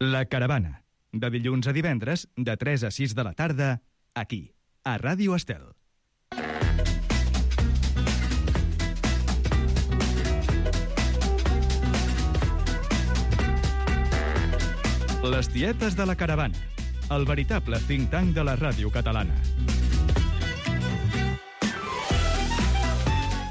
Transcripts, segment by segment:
La Caravana, de dilluns a divendres, de 3 a 6 de la tarda, aquí, a Ràdio Estel. Les tietes de la Caravana, el veritable think tank de la ràdio catalana.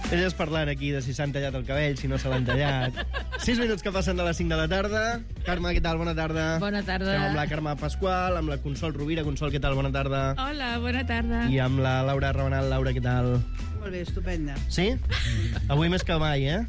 Elles parlant aquí de si s'han tallat el cabell, si no se l'han tallat. 6 minuts que passen de les 5 de la tarda. Carme, què tal? Bona tarda. Bona tarda. Estem amb la Carme Pasqual, amb la Consol Rovira. Consol, què tal? Bona tarda. Hola, bona tarda. I amb la Laura Rabanal. Laura, què tal? Molt bé, estupenda. Sí? Avui més que mai, eh?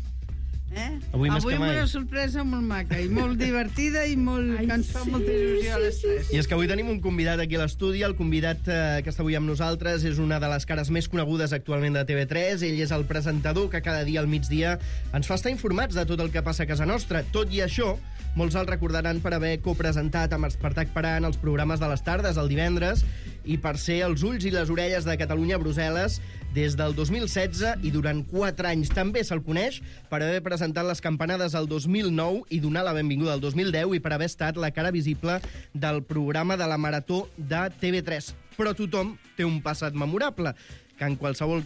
Avui més que mai. Una sorpresa molt maca i molt divertida i molt... que ens fa molta il·lusió a les tres. I és que avui tenim un convidat aquí a l'estudi. El convidat que està avui amb nosaltres és una de les cares més conegudes actualment de TV3. Ell és el presentador que cada dia al migdia ens fa estar informats de tot el que passa a casa nostra. Tot i això, molts el recordaran per haver copresentat amb Espartac Parant els programes de les tardes el divendres i per ser els ulls i les orelles de Catalunya a Brussel·les des del 2016 i durant 4 anys. També se'l coneix per haver presentat les campanades el 2009 i donar la benvinguda al 2010 i per haver estat la cara visible del programa de la Marató de TV3. Però tothom té un passat memorable, que en qualsevol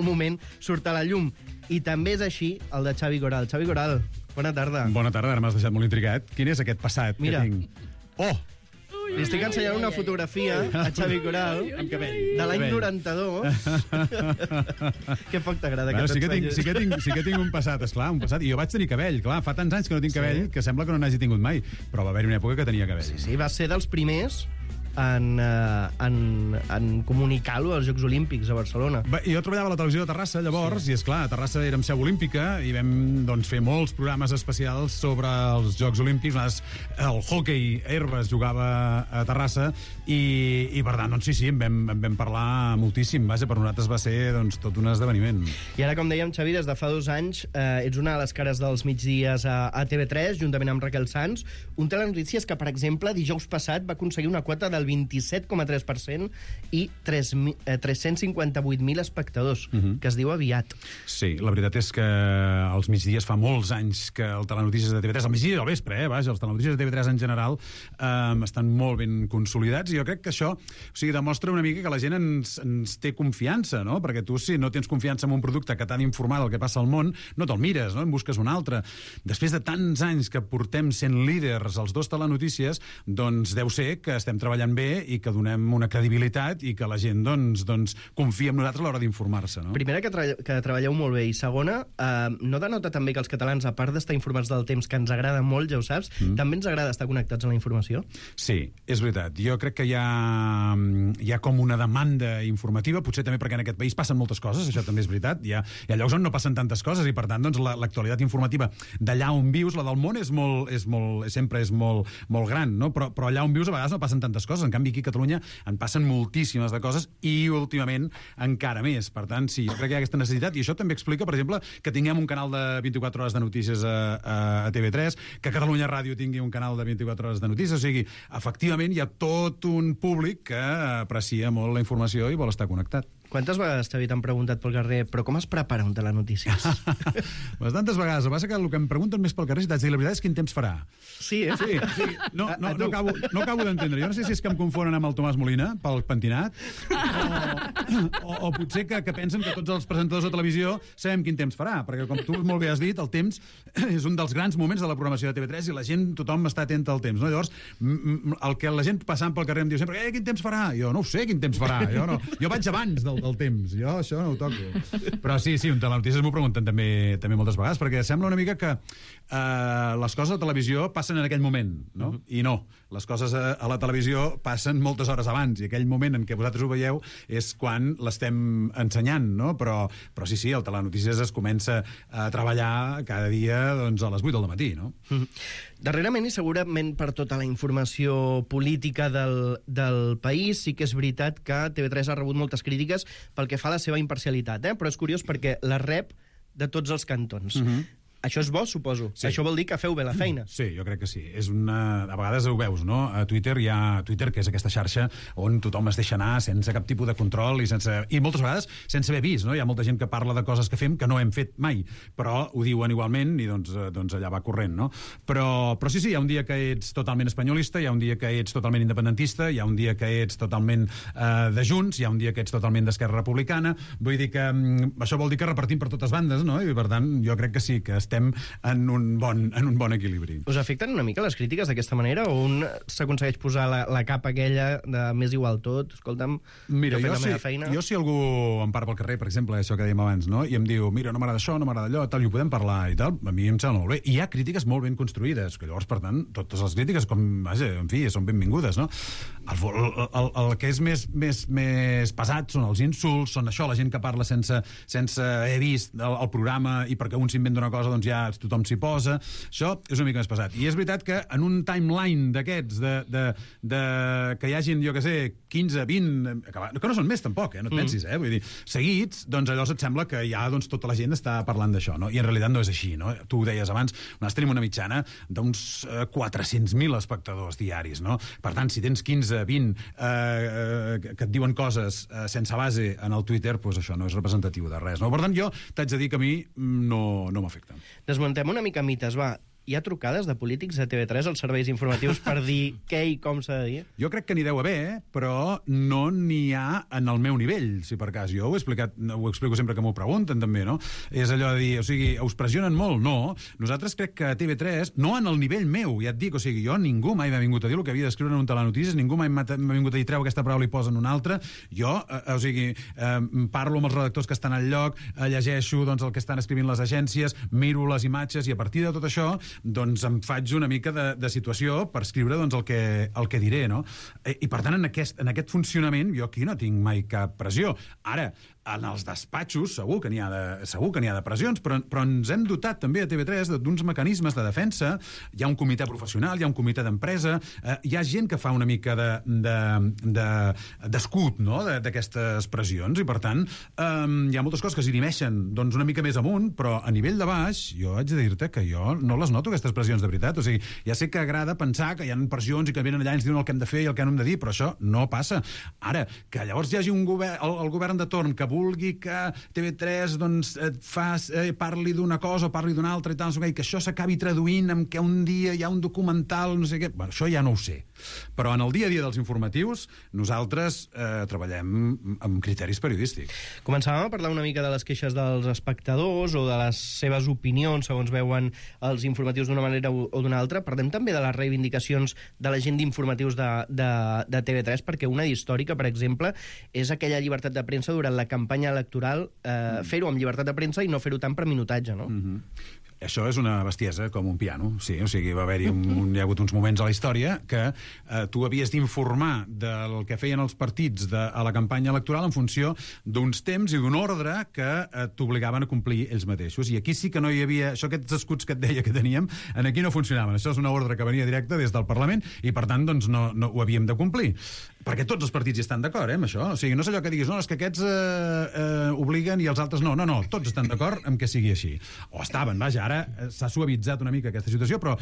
moment surt a la llum. I també és així el de Xavi Coral. Xavi Coral, bona tarda. Bona tarda, ara m'has deixat molt intrigat. Quin és aquest passat Mira. que tinc? Oh! Li estic ensenyant una fotografia a Xavi Coral amb cabell. de l'any 92. Que poc t'agrada que t'ensenyi. Sí que tinc un passat, esclar, un passat. I jo vaig tenir cabell, clar, fa tants anys que no tinc cabell que sembla que no n'hagi tingut mai. Però va haver-hi una època que tenia cabell. Sí, va ser dels primers en comunicar-lo als Jocs Olímpics a Barcelona. Jo treballava a la televisió de Terrassa, llavors, i és clar, a Terrassa érem seu olímpica i vam fer molts programes especials sobre els Jocs Olímpics. El hoquei herba es jugava a Terrassa i per tant, sí, en vam parlar moltíssim. Vaja, per nosaltres va ser tot un esdeveniment. I ara, com dèiem, Xavi, des de fa 2 anys ets una de les cares dels migdies a TV3, juntament amb Raquel Sans, un telenotícies que, per exemple, dijous passat va aconseguir una quota del 27,3% i 358.000 espectadors, que es diu aviat. Sí, la veritat és que els migdies fa molts anys que el telenotícies de TV3, al migdia i al vespre, vaja, els telenotícies de TV3 en general estan molt ben consolidats i jo crec que això demostra una mica que la gent ens té confiança, no? Perquè tu, si no tens confiança en un producte que t'ha d'informar del que passa al món, no te'l mires, no? En busques un altre. Després de tants anys que portem sent líders als 2 telenotícies, doncs deu ser que estem treballant bé i que donem una credibilitat i que la gent confia en nosaltres a l'hora d'informar-se, no? Primera, que treballeu molt bé, i segona, no denota també que els catalans, a part d'estar informats del temps, que ens agrada molt, ja ho saps, també ens agrada estar connectats a la informació? Sí, és veritat. Jo crec que hi ha com una demanda informativa, potser també perquè en aquest país passen moltes coses, això també és veritat, hi ha llocs on no passen tantes coses i per tant l'actualitat informativa d'allà on vius, la del món sempre és molt gran, no? Però allà on vius a vegades no passen tantes coses. En canvi, aquí a Catalunya en passen moltíssimes de coses i últimament encara més. Per tant, sí, jo crec que hi ha aquesta necessitat i això també explica, per exemple, que tinguem un canal de 24 hores de notícies a TV3, que Catalunya Ràdio tingui un canal de 24 hores de notícies. O sigui, efectivament, hi ha tot un públic que aprecia molt la informació i vol estar connectat. Quantes vegades, Xavi, t'han preguntat pel carrer però com es prepara un telenotícies? Bastantes vegades. El que passa que el que em pregunten més pel carrer és dir, la veritat és quin temps farà. Sí, eh? Sí. No acabo d'entendre. Jo no sé si és que em confonen amb el Tomàs Molina pel pentinat o potser que pensen que tots els presentadors de televisió sabem quin temps farà, perquè com tu molt bé has dit, el temps és un dels grans moments de la programació de TV3 i la gent, tothom està atent al temps, no? Llavors, el que la gent passant pel carrer em diu sempre, quin temps farà? Jo no ho sé quin temps farà, jo vaig abans del temps, jo això no ho toco. Però sí, un telenotícies m'ho pregunten també moltes vegades, perquè sembla una mica que les coses a la televisió passen en aquell moment, no? I no, les coses a la televisió passen moltes hores abans, i aquell moment en què vosaltres ho veieu és quan l'estem ensenyant, no? Però sí, el telenotícies es comença a treballar cada dia a les 8 del matí, no? Darrerament, i segurament per tota la informació política del país, sí que és veritat que TV3 ha rebut moltes crítiques pel que fa a la seva imparcialitat, però és curiós perquè la rep de tots els cantons. Això és bo, suposo. Sí. Això vol dir que feu bé la feina. Sí, jo crec que sí. A vegades ho veus, no? A Twitter hi ha Twitter, que és aquesta xarxa on tothom es deixa anar sense cap tipus de control i moltes vegades sense haver vist, no? Hi ha molta gent que parla de coses que fem que no hem fet mai, però ho diuen igualment i doncs allà va corrent, no? Però sí, hi ha un dia que ets totalment espanyolista, hi ha un dia que ets totalment independentista, hi ha un dia que ets totalment de Junts, hi ha un dia que ets totalment d'Esquerra Republicana. Vull dir que això vol dir que repartim per totes bandes, no? I per tant, jo crec que sí, que estem en un bon equilibri. Us afecten una mica les crítiques d'aquesta manera o un s'aconsegueix posar la capa aquella de més igual tot? Escolta'm, mira, jo la meva feina... Jo si algú em para pel carrer, per exemple, això que dèiem abans, no? I em diu, mira, no m'agrada això, no m'agrada allò, tal, i ho podem parlar i tal, a mi em sembla molt bé. I hi ha crítiques molt ben construïdes, que llavors, per tant, totes les crítiques, en fi, són benvingudes, no? El que és més pesat són els insults, són això, la gent que parla sense haver vist el programa i perquè un s'inventa una cosa, doncs ja tothom s'hi posa. Això és una mica més pesat. I és veritat que en un timeline d'aquests, que hi hagin, jo què sé, 15, 20, que no són més tampoc, no et pensis, vull dir, seguits, doncs llavors et sembla que ja tota la gent està parlant d'això, no? I en realitat no és així, no? Tu ho deies abans, nosaltres tenim una mitjana d'uns 400.000 espectadors diaris, no? Per tant, si tens 15, 20 que et diuen coses sense base en el Twitter, doncs això no és representatiu de res, no? Per tant, jo t'haig de dir que a mi no m'afecta. Desmuntem una mica mites, va. Hi ha trucades de polítics a TV3 als serveis informatius per dir què i com s'ha de dir? Jo crec que n'hi deu haver, però no n'hi ha en el meu nivell, si per cas. Jo ho explico sempre que m'ho pregunten, també, no? És allò de dir, o sigui, us pressionen molt? No. Nosaltres crec que a TV3, no en el nivell meu, ja et dic, o sigui, ningú mai m'ha vingut a dir el que havia d'escriure en un telenotícies, ningú mai m'ha vingut a dir treu aquesta paraula i posa en una altra. Jo, o sigui, parlo amb els redactors que estan al lloc, llegeixo doncs, el que estan escrivint les agències, miro les imatges i a partir de tot això doncs em faig una mica de situació per escriure doncs, el que diré, no? I per tant, en aquest funcionament jo aquí no tinc mai cap pressió. Ara, en els despatxos segur que n'hi ha de pressions, però ens hem dotat també a TV3 d'uns mecanismes de defensa. Hi ha un comitè professional, hi ha un comitè d'empresa, hi ha gent que fa una mica d'escut, no?, d'aquestes pressions, i per tant hi ha moltes coses que s'inhibeixen doncs, una mica més amunt, però a nivell de baix jo haig de dir-te que jo no les noto, aquestes pressions, de veritat. O sigui, ja sé que agrada pensar que hi ha pressions i que venen allà i ens diuen el que hem de fer i el que no hem de dir, però això no passa. Ara, que llavors hi hagi un govern, el govern de torn que vulgui que TV3 doncs, parli d'una cosa o parli d'una altra i tal, i que això s'acabi traduint en que un dia hi ha un documental, no sé què... Bueno, això ja no ho sé. Però en el dia a dia dels informatius nosaltres treballem amb criteris periodístics. Començàvem a parlar una mica de les queixes dels espectadors o de les seves opinions segons veuen els informatius d'una manera o d'una altra. Parlem també de les reivindicacions de la gent d'informatius de TV3, perquè una històrica, per exemple, és aquella llibertat de premsa durant la campanya electoral, fer-ho amb llibertat de premsa i no fer-ho tant per minutatge, no? Això és una bestiesa, com un piano, sí. O sigui, hi ha hagut uns moments a la història que tu havies d'informar del que feien els partits a la campanya electoral en funció d'uns temps i d'un ordre que t'obligaven a complir ells mateixos. I aquí sí que no hi havia... Aquests escuts que et deia que teníem, aquí no funcionaven. Això és una ordre que venia directa des del Parlament i, per tant, doncs, no ho havíem de complir. Perquè tots els partits hi estan d'acord, amb això. O sigui, no és allò que diguis, no, és que aquests obliguen i els altres no. No, tots estan d'acord amb que sigui així. O estaven, vaja, ara s'ha suavitzat una mica aquesta situació, però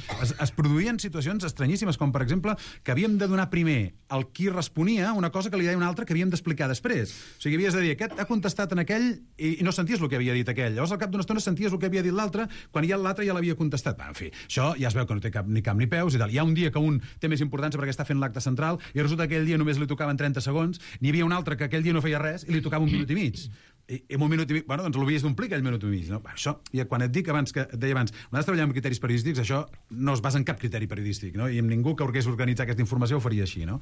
es produïen situacions estranyíssimes, com per exemple que havíem de donar primer al qui responia una cosa que li deia un altre que havíem d'explicar després. O sigui, havies de dir, aquest ha contestat en aquell i no senties el que havia dit aquell. Llavors, al cap d'una estona senties el que havia dit l'altre quan ja l'altre ja l'havia contestat. En fi, això ja es veu que no té cap ni camp ni peus i tal. Hi ha un dia que un té més importància perquè està fent l'acte central i resulta que aquell dia només li tocaven 30 segons, n'hi havia un altre que aquell dia no feia res i li tocava 1 minut i mig. I en 1 minut i mig, bueno, doncs l'havies d'omplir aquell minut i mig, no? Això, i quan et dic abans, que et deia abans, nosaltres treballem amb criteris periodístics, això no es basa en cap criteri periodístic, no? I amb ningú que volgués organitzar aquesta informació ho faria així, no?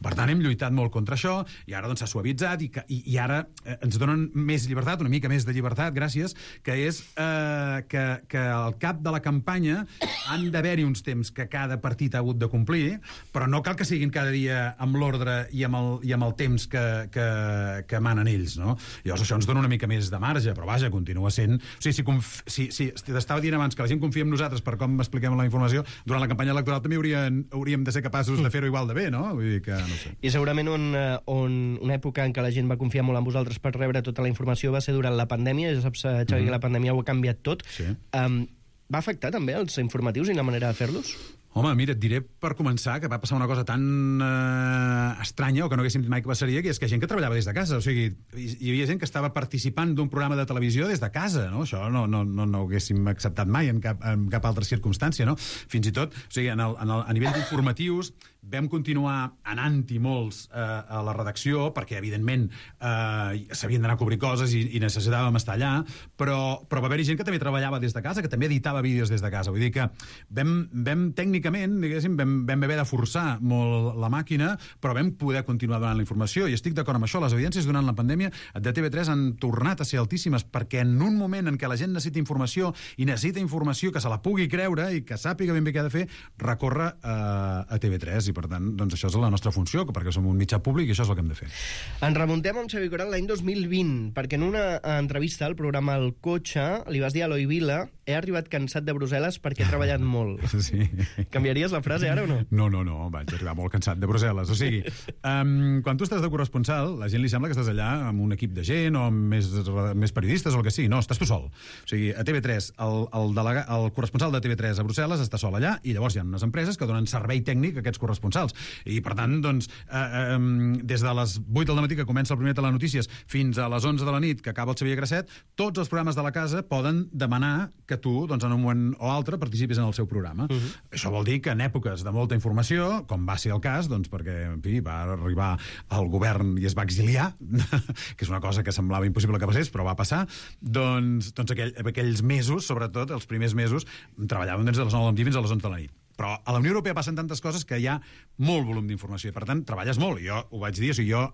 Per tant, hem lluitat molt contra això, i ara doncs s'ha suavitzat, i ara ens donen més llibertat, una mica més de llibertat, gràcies, que és que al cap de la campanya han d'haver-hi uns temps que cada partit ha hagut de complir, però no cal que siguin cada dia amb l'ordre i amb el temps que manen ells, no? Llavors això ens dona una mica més de marge, però vaja, continua sent... O sigui, si t'estava dient abans que la gent confia en nosaltres per com expliquem la informació, durant la campanya electoral també hauríem de ser capaços de fer-ho igual de bé, no? Vull dir que no sé. I segurament una època en què la gent va confiar molt en vosaltres per rebre tota la informació va ser durant la pandèmia, ja saps, Xavi, que la pandèmia ho ha canviat tot. Sí. va afectar també els informatius i la manera de fer-los? Home, mira, et diré per començar que va passar una cosa tan estranya, o que no haguéssim dit mai que passaria, que és que gent que treballava des de casa. O sigui, hi havia gent que estava participant d'un programa de televisió des de casa, no? Això no ho haguéssim acceptat mai en cap altra circumstància, no? Fins i tot, o sigui, a nivell d'informatius, vam continuar anant-hi molts a la redacció, perquè, evidentment, s'havien d'anar a cobrir coses i necessitàvem estar allà, però va haver-hi gent que també treballava des de casa, que també editava vídeos des de casa. Vull dir que vam tècnicament, diguéssim, vam haver de forçar molt la màquina, però vam poder continuar donant la informació, i estic d'acord amb això. Les audiències durant la pandèmia de TV3 han tornat a ser altíssimes, perquè en un moment en què la gent necessita informació, i necessita informació que se la pugui creure i que sàpiga ben bé què ha de fer, recorre a TV3, i per tant, doncs això és la nostra funció, perquè som un mitjà públic i això és el que hem de fer. Ens remuntem amb Xavi Coral l'any 2020, perquè en una entrevista al programa El Cotxe li vas dir a Eloi Vila: he arribat cansat de Brussel·les perquè he treballat molt. Sí. Canviaries la frase ara o no? No, vaig arribar molt cansat de Brussel·les. O sigui, quan tu estàs de corresponsal, la gent li sembla que estàs allà amb un equip de gent o amb més periodistes o el que sigui. No, estàs tu sol. O sigui, a TV3, el corresponsal de TV3 a Brussel·les està sol allà, i llavors hi ha unes empreses que donen servei tècnic a aquests corresponsals. I, per tant, doncs, des de les 8 del matí que comença el primer Telenotícies fins a les 11 de la nit que acaba el Xavier Grasset, tots els programes de la casa poden demanar que tu, doncs, en un moment o altre, participis en el seu programa. Això vol dir que en èpoques de molta informació, com va ser el cas, doncs, perquè, en fi, va arribar al govern i es va exiliar, que és una cosa que semblava impossible que passés, però va passar, doncs aquells mesos, sobretot, els primers mesos, treballàvem des de les 9 del matí fins a les 11 de la nit. Però a la Unió Europea passen tantes coses que hi ha molt volum d'informació, i per tant treballes molt. I jo ho vaig dir, o sigui, jo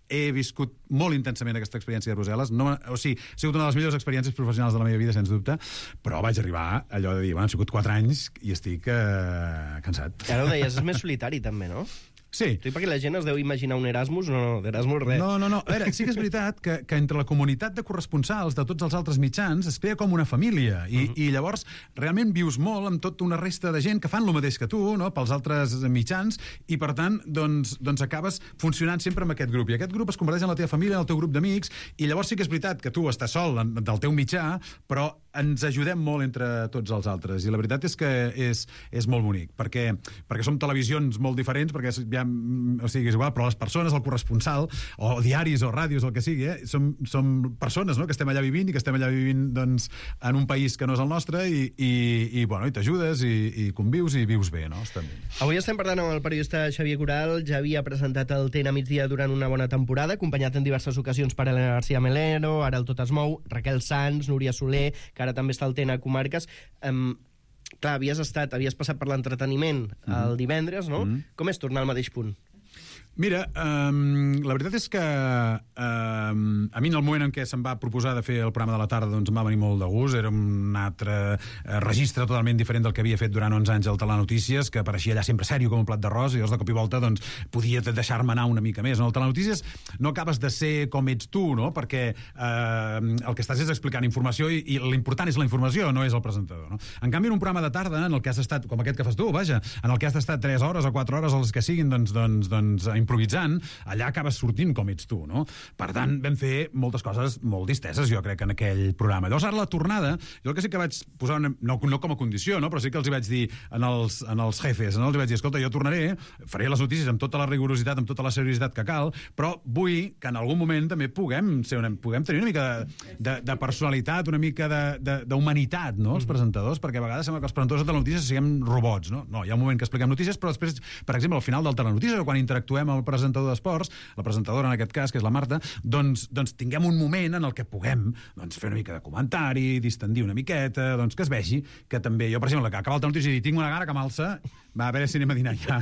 he viscut molt intensament aquesta experiència de Brussel·les. O sigui, ha sigut una de les millors experiències professionals de la meva vida, sens dubte, però vaig arribar allò de dir, han sigut 4 anys i estic cansat. Ara ho deies, és més solitari també, no? Sí. Sí, perquè la gent es deu imaginar un Erasmus, no, d'Erasmus res. No. A veure, sí que és veritat que entre la comunitat de corresponsals de tots els altres mitjans es crea com una família, i llavors realment vius molt amb tota una resta de gent que fan el mateix que tu, no?, pels altres mitjans, i per tant, doncs acabes funcionant sempre amb aquest grup, i aquest grup es converteix en la teva família, en el teu grup d'amics, i llavors sí que és veritat que tu estàs sol del teu mitjà, però ens ajudem molt entre tots els altres, i la veritat és que és molt bonic, perquè som televisions molt diferents, perquè o sigui, és igual, però les persones, el corresponsal, o diaris o ràdios, el que sigui, som persones, no?, que estem allà vivint, i que estem allà vivint, doncs, en un país que no és el nostre, i t'ajudes, i convius, i vius bé, no? Estem bé. Avui estem parlant amb el periodista Xavier Coral. Ja havia presentat el TN a migdia durant una bona temporada, acompanyat en diverses ocasions per Elena García Melero, ara el Tot es mou, Raquel Sanz, Núria Soler, que ara també està al TN a Comarques. Clar, havies passat per l'entreteniment el divendres, no? Com és tornar al mateix punt? Mira, la veritat és que a mi en el moment en què se'm va proposar de fer el programa de la tarda, doncs em va venir molt de gust. Era un altre registre totalment diferent del que havia fet durant 11 anys al Telenotícies, que apareixia allà sempre sèrio com un plat d'arròs, i llavors de cop i volta doncs, podia deixar-me anar una mica més. En el Telenotícies no acabes de ser com ets tu, no?, perquè el que estàs és explicant informació, i l'important és la informació, no és el presentador, no? En canvi, en un programa de tarda, en el que has estat, com aquest que fas tu, vaja, en el que has estat 3 hores o 4 hores, els que siguin, doncs improvisant, allà acabes sortint com ets tu, no? Per tant, vam fer moltes coses molt disteses, jo crec, en aquell programa. Llavors, ara la tornada, jo el que sí que vaig posar, no com a condició, no?, però sí que els hi vaig dir en els jefes, no?, els hi vaig dir, escolta, jo tornaré, faré les notícies amb tota la rigorositat, amb tota la seriositat que cal, però vull que en algun moment també puguem tenir una mica de personalitat, una mica d'humanitat, no?, els presentadors, perquè a vegades sembla que els presentadors de Telenotícies siguem robots, no? No, hi ha un moment que expliquem notícies, però després, per exemple, al final del Telenotícies, o quan interactuem amb el presentador d'esports, la presentadora en aquest cas, que és la Marta, doncs tinguem un moment en el que puguem fer una mica de comentari, distendir una miqueta, doncs que es vegi que també jo, per exemple, que acaba el Telenotícies i tinc una gana que m'alça, va, a veure si anem a dinar ja.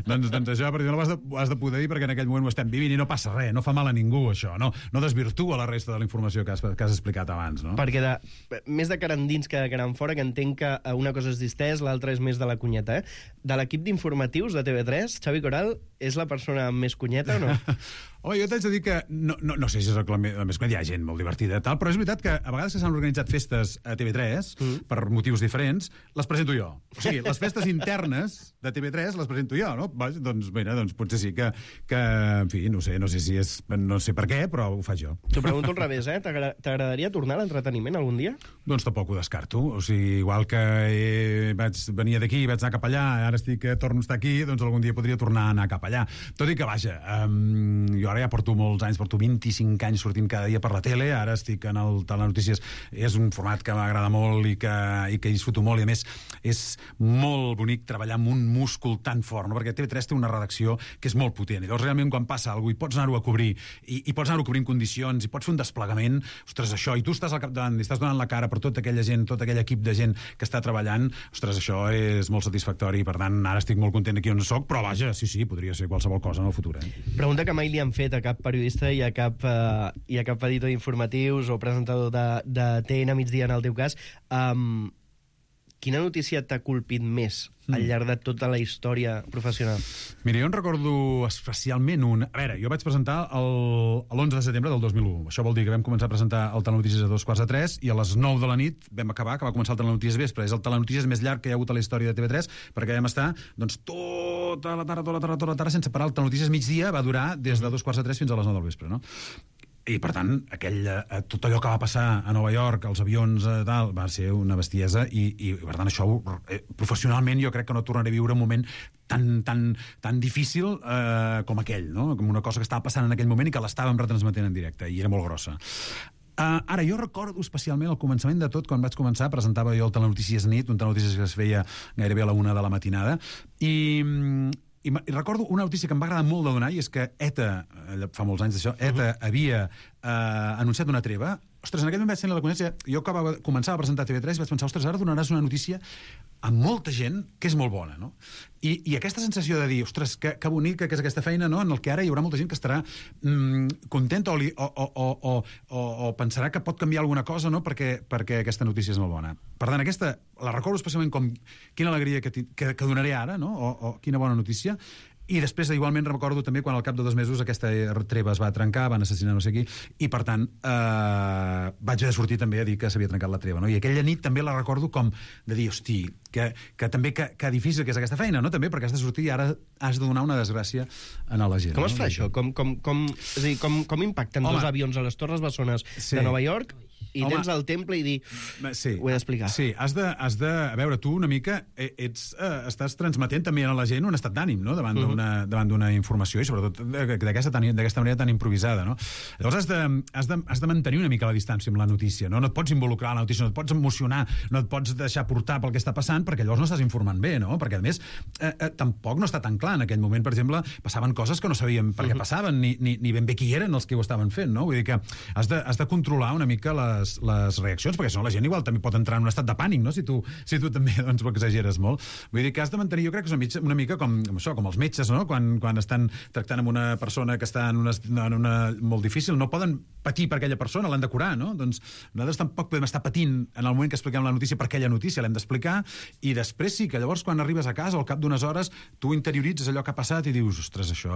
doncs això, per exemple, ho has de poder dir, perquè en aquell moment ho estem vivint i no passa res, no fa mal a ningú, això, no desvirtua la resta de la informació que has explicat abans, no? Perquè més de cara endins que de cara enfora, que entenc que una cosa és distès, l'altra és més de la cunyeta, De l'equip d'informatius de TV3, Xavi Coral és la persona més cunyeta o no? Jo t'haig de dir que no sé si és la més que hi ha gent molt divertida, tal, però és veritat que a vegades que s'han organitzat festes a TV3 per motius diferents, les presento jo. O sigui, les festes internes de TV3 les presento jo, no? Doncs, mira, potser sí que en fi, no sé si és... No sé per què, però ho faig jo. T'ho pregunto al revés, T'agradaria tornar a l'entreteniment algun dia? Doncs tampoc ho descarto. O sigui, igual que vaig venir d'aquí i vaig anar cap allà, ara torno a estar aquí, doncs algun dia podria tornar a anar cap allà. Tot i que, vaja, jo ara ja porto molts anys, porto 25 anys sortint cada dia per la tele, ara estic en el Telenotícies, és un format que m'agrada molt i que disfruto molt, i a més és molt bonic treballar amb un múscul tan fort, no? Perquè TV3 té una redacció que és molt potent, i llavors realment quan passa alguna cosa i pots anar-ho a cobrir, i pots anar-ho a cobrir en condicions, i pots fer un desplegament, ostres, això, i tu estàs al capdavant, i estàs donant la cara per tota aquella gent, tot aquell equip de gent que està treballant, ostres, això és molt satisfactori, i per tant ara estic molt content aquí on soc, però vaja, sí, podria ser qualsevol cosa en el futur. Pregunta que mai li han fet a cap periodista i a cap editor d'informatius o presentador de TN Migdia, en el teu cas. Quina notícia t'ha colpit més al llarg de tota la història professional? Mira, jo en recordo especialment un... A veure, jo vaig presentar l'11 de setembre del 2001. Això vol dir que vam començar a presentar el Telenotícies a 2:45 i a les 9 de la nit vam acabar, que va començar el Telenotícies vespre. És el Telenotícies més llarg que hi ha hagut a la història de TV3, perquè vam estar doncs, tota la tarda sense parar. El Telenotícies migdia va durar des de 2:45 fins a les 9 del vespre, no? I, per tant, tot allò que va passar a Nova York, els avions, tal, va ser una bestiesa, i per tant, això, professionalment, jo crec que no tornaré a viure un moment tan difícil com aquell, no? Com una cosa que estava passant en aquell moment i que l'estàvem retransmetent en directe, i era molt grossa. Ara, jo recordo especialment el començament de tot, quan vaig començar, presentava jo el Telenotícies nit, un Telenotícies que es feia gairebé a la 1 de la matinada, i recordo una notícia que em va agradar molt de donar, i és que ETA, fa molts anys d'això, ETA havia anunciat una treva. Ostres, en aquell moment vaig tenir la coneixença, jo començava a presentar TV3 i vaig pensar, ostres, ara donaràs una notícia a molta gent que és molt bona, no? I aquesta sensació de dir, ostres, que bonica que és aquesta feina, no? En el que ara hi haurà molta gent que estarà contenta o pensarà que pot canviar alguna cosa, no? Perquè aquesta notícia és molt bona. Per tant, aquesta la recordo especialment com quina alegria que donaré ara, no? O quina bona notícia. I després, igualment, recordo també quan al cap de 2 mesos aquesta treva es va trencar, van assassinar no sé qui, i per tant vaig haver de sortir també a dir que s'havia trencat la treva, no? I aquella nit també la recordo com de dir, hosti, que també que difícil que és aquesta feina, no? També perquè has de sortir i ara has de donar una desgràcia a la gent. Com es fa això? És a dir, com impacten dos avions a les Torres Bessones de Nova York i tens al temple i dir... Ho he d'explicar. Sí, has de... A veure, tu una mica estàs transmetent també a la gent un estat d'ànim, no? Davant d'una informació, i sobretot d'aquesta manera tan improvisada, no? Llavors has de mantenir una mica la distància amb la notícia, no? No et pots involucrar en la notícia, no et pots emocionar, no et pots deixar portar pel que està passant, perquè llavors no estàs informant bé, no? Perquè, a més, tampoc no està tan clar. En aquell moment, per exemple, passaven coses que no sabíem per què passaven, ni ben bé qui eren els que ho estaven fent, no? Vull dir que has de controlar una mica les reaccions, perquè si no la gent igual també pot entrar en un estat de pànic, no? Si tu també doncs, ho exageres molt. Vull dir que has de mantenir, jo crec que és una mica com els metges, no? Quan estan tractant amb una persona que està en una molt difícil, no poden patir per aquella persona, l'han de curar, no? Doncs nosaltres tampoc podem estar patint en el moment que expliquem la notícia per aquella notícia, l'hem d'explicar, i després sí que llavors quan arribes a casa, al cap d'unes hores, tu interioritzes allò que ha passat i dius, ostres, això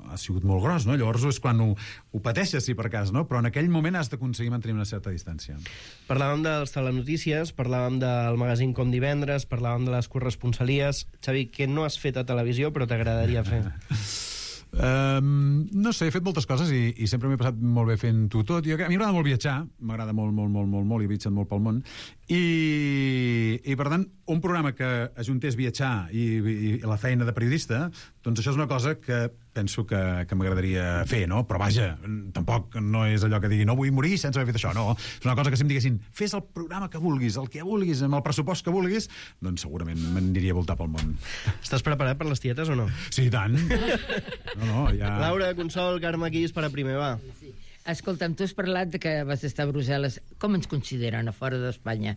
ha sigut molt gros, no? Llavors és quan ho pateixes, si per cas, no? Però en aquell moment has d'aconseguir mantenir una certa distància. Parlàvem dels telenotícies, parlàvem del magazín Com Divendres, parlàvem de les corresponsalies. Xavi, què no has fet a televisió però t'agradaria fer? No sé, he fet moltes coses i sempre m'he passat molt bé fent-ho tot. A mi m'agrada molt viatjar, m'agrada molt, i he viatjat molt pel món, i per tant, un programa que ajuntés viatjar i la feina de periodista, doncs això és una cosa que penso que m'agradaria fer, no? Però vaja, tampoc no és allò que digui no vull morir sense haver fet això, no. És una cosa que si em diguessin fes el programa que vulguis, el que vulguis, amb el pressupost que vulguis, doncs segurament m'aniria a voltar pel món. Estàs preparat per les tietes o no? Sí, i tant. Ja... Laura, Consol, Carme, qui dispara primer, va? Sí. Escolta'm, tu has parlat de que vas estar a Brussel·les. Com ens consideren a fora d'Espanya?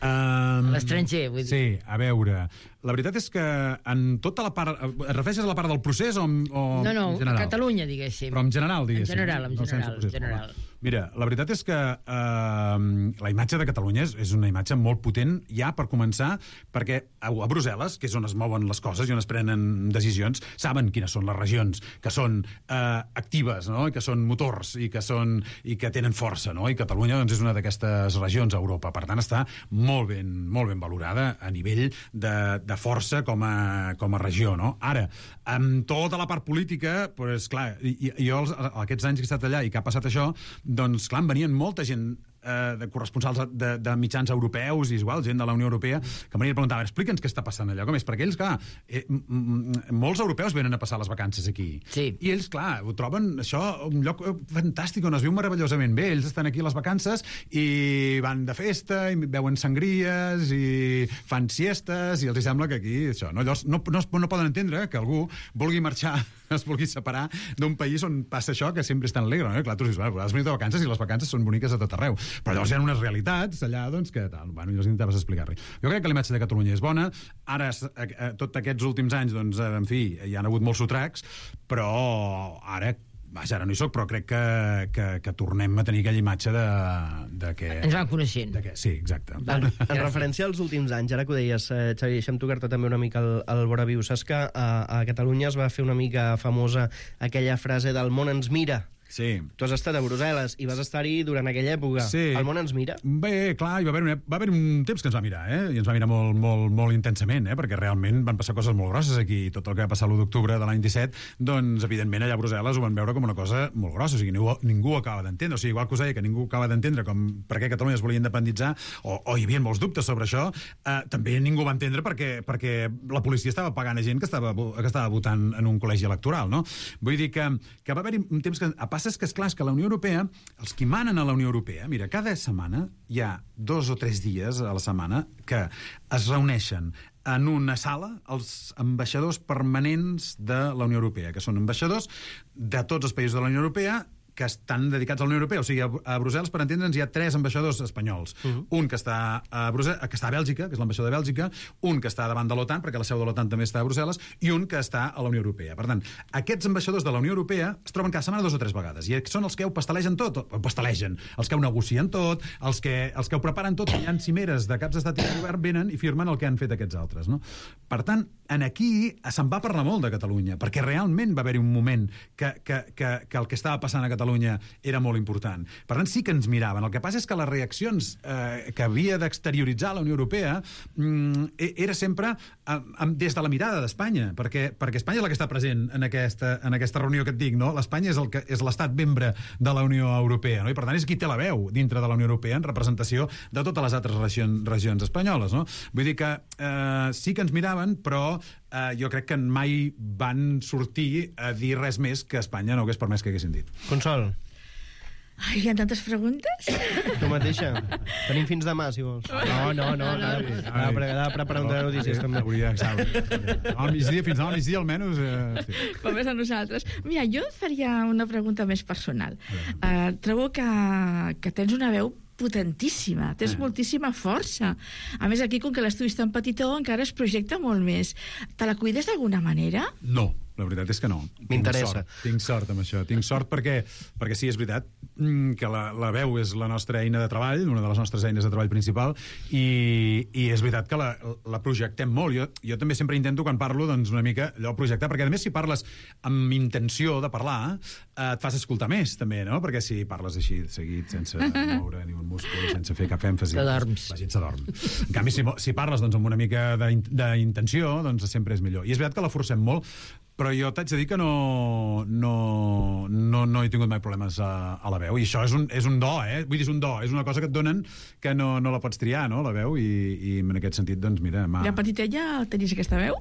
A l'estranger, vull dir. Sí, a veure... la veritat és que en tota la part... Et refereixes a la part del procés o No, en general? Catalunya, diguéssim. Però en general, diguéssim. En general. Mira, la veritat és que la imatge de Catalunya és una imatge molt potent, ja per començar, perquè a Brussel·les, que és on es mouen les coses i on es prenen decisions, saben quines són les regions que són actives, no? I que són motors i que tenen força, no? I Catalunya doncs, és una d'aquestes regions a Europa. Per tant, està molt ben valorada a nivell de força com a regió, no? Ara, amb tota la part política, doncs, clar, jo aquests anys que he estat allà i que ha passat això, doncs, clar, em venien molta gent de corresponsals de mitjans europeus i igual, gent de la Unió Europea, que m'anien a preguntar, explica'ns què està passant allà, com és? Perquè ells, clar, molts europeus venen a passar les vacances aquí. Sí. I ells, clar, ho troben això un lloc fantàstic on es viu meravellosament bé. Ells estan aquí a les vacances i van de festa i beuen sangries i fan siestes i els sembla que aquí, això, no? Llavors, no poden entendre que algú vulgui marxar, es vulgui separar d'un país on passa això, que sempre és tan alegre, no? Clar, tu dius, has venit de vacances i les vacances són boniques a tot arreu. Però llavors hi ha unes realitats allà, doncs, que tal, bueno, llavors intentaves explicar-li. Jo crec que la imatge de Catalunya és bona. Ara, tots aquests últims anys, doncs, en fi, hi ha hagut molts sotracs, però ara no hi soc, però crec que tornem a tenir aquella imatge de que... Ens van coneixent. Sí, exacte. En referència als últims anys, ara que ho deies, Xavi, deixa'm tocar-te també una mica el vora viu. Saps que a Catalunya es va fer una mica famosa aquella frase del món ens mira? Sí. Tu has estat a Brussel·les i vas estar-hi durant aquella època. Sí. El món ens mira? Bé, clar, va haver un temps que ens va mirar, i ens va mirar molt intensament, perquè realment van passar coses molt grosses aquí. Tot el que va passar l'1 d'octubre de l'any 17, doncs, evidentment, allà a Brussel·les ho van veure com una cosa molt grossa. O sigui, ningú ho acaba d'entendre. O sigui, igual que us deia que ningú acaba d'entendre per què Catalunya es volia independitzar, o hi havia molts dubtes sobre això, també ningú va entendre perquè la policia estava pagant a gent que estava votant en un col·legi electoral, no? Vull dir que va haver-hi un temps que... És que, esclar, és que la Unió Europea, els qui manen a la Unió Europea, mira, cada setmana hi ha 2 o 3 dies a la setmana que es reuneixen en una sala els ambaixadors permanents de la Unió Europea, que són ambaixadors de tots els països de la Unió Europea que estan dedicats a la Unió Europea. O sigui, a Brussel·les, per entendre'ns, hi ha 3 ambaixadors espanyols. Un que està a Bèlgica, que és l'ambaixador de Bèlgica, un que està davant de l'OTAN, perquè la seu de l'OTAN també està a Brussel·les, i un que està a la Unió Europea. Per tant, aquests ambaixadors de la Unió Europea es troben cada setmana 2 o 3 vegades, i són els que ho pastelegen tot, els que ho negocien tot, els que ho preparen tot, hi ha cimeres de caps d'estat i de govern, venen i firmen el que han fet aquests altres, no? Per tant, aquí se'n va parlar molt de Catalunya, perquè realment va haver-hi un moment que el que estava passant a Catalunya era molt important. Per tant, sí que ens miraven. El que passa és que les reaccions que havia d'exterioritzar la Unió Europea era sempre des de la mirada d'Espanya, perquè Espanya és la que està present en aquesta reunió que et dic, no? L'Espanya és l'estat membre de la Unió Europea, no? I per tant és qui té la veu dintre de la Unió Europea en representació de totes les altres regions espanyoles, no? Vull dir que sí que ens miraven, però jo crec que mai van sortir a dir res més que Espanya no hagués permès que haguessin dit. Consol. Ai, hi ha tantes preguntes. Tu mateixa. Tenim fins demà, si vols. No. Anava preparant de notícies, també. Al migdia, fins al migdia, almenys. Com és a nosaltres. Mira, jo et faria una pregunta més personal. Trobo que tens una veu potentíssima, tens moltíssima força. A més, aquí, com que l'estudi és tan petitó, encara es projecta molt més. Te la cuides d'alguna manera? No. La veritat és que no. M'interessa. Tinc sort amb això. Tinc sort perquè sí, és veritat que la veu és la nostra eina de treball, una de les nostres eines de treball principal, i és veritat que la projectem molt. Jo també sempre intento, quan parlo, doncs una mica allò projectar, perquè a més si parles amb intenció de parlar, et fas escoltar més, també, no? Perquè si parles així, seguit, sense moure ni un múscul, sense fer cap èmfasi, la gent s'adorm. En canvi, si parles doncs, amb una mica d'intenció, doncs sempre és millor. I és veritat que la forcem molt, però jo t'haig de dir que no he tingut mai problemes a la veu, i això és un do, vull dir, és un do, és una cosa que et donen que no la pots triar, no?, la veu, i en aquest sentit, doncs mira... De petitella tenies aquesta veu?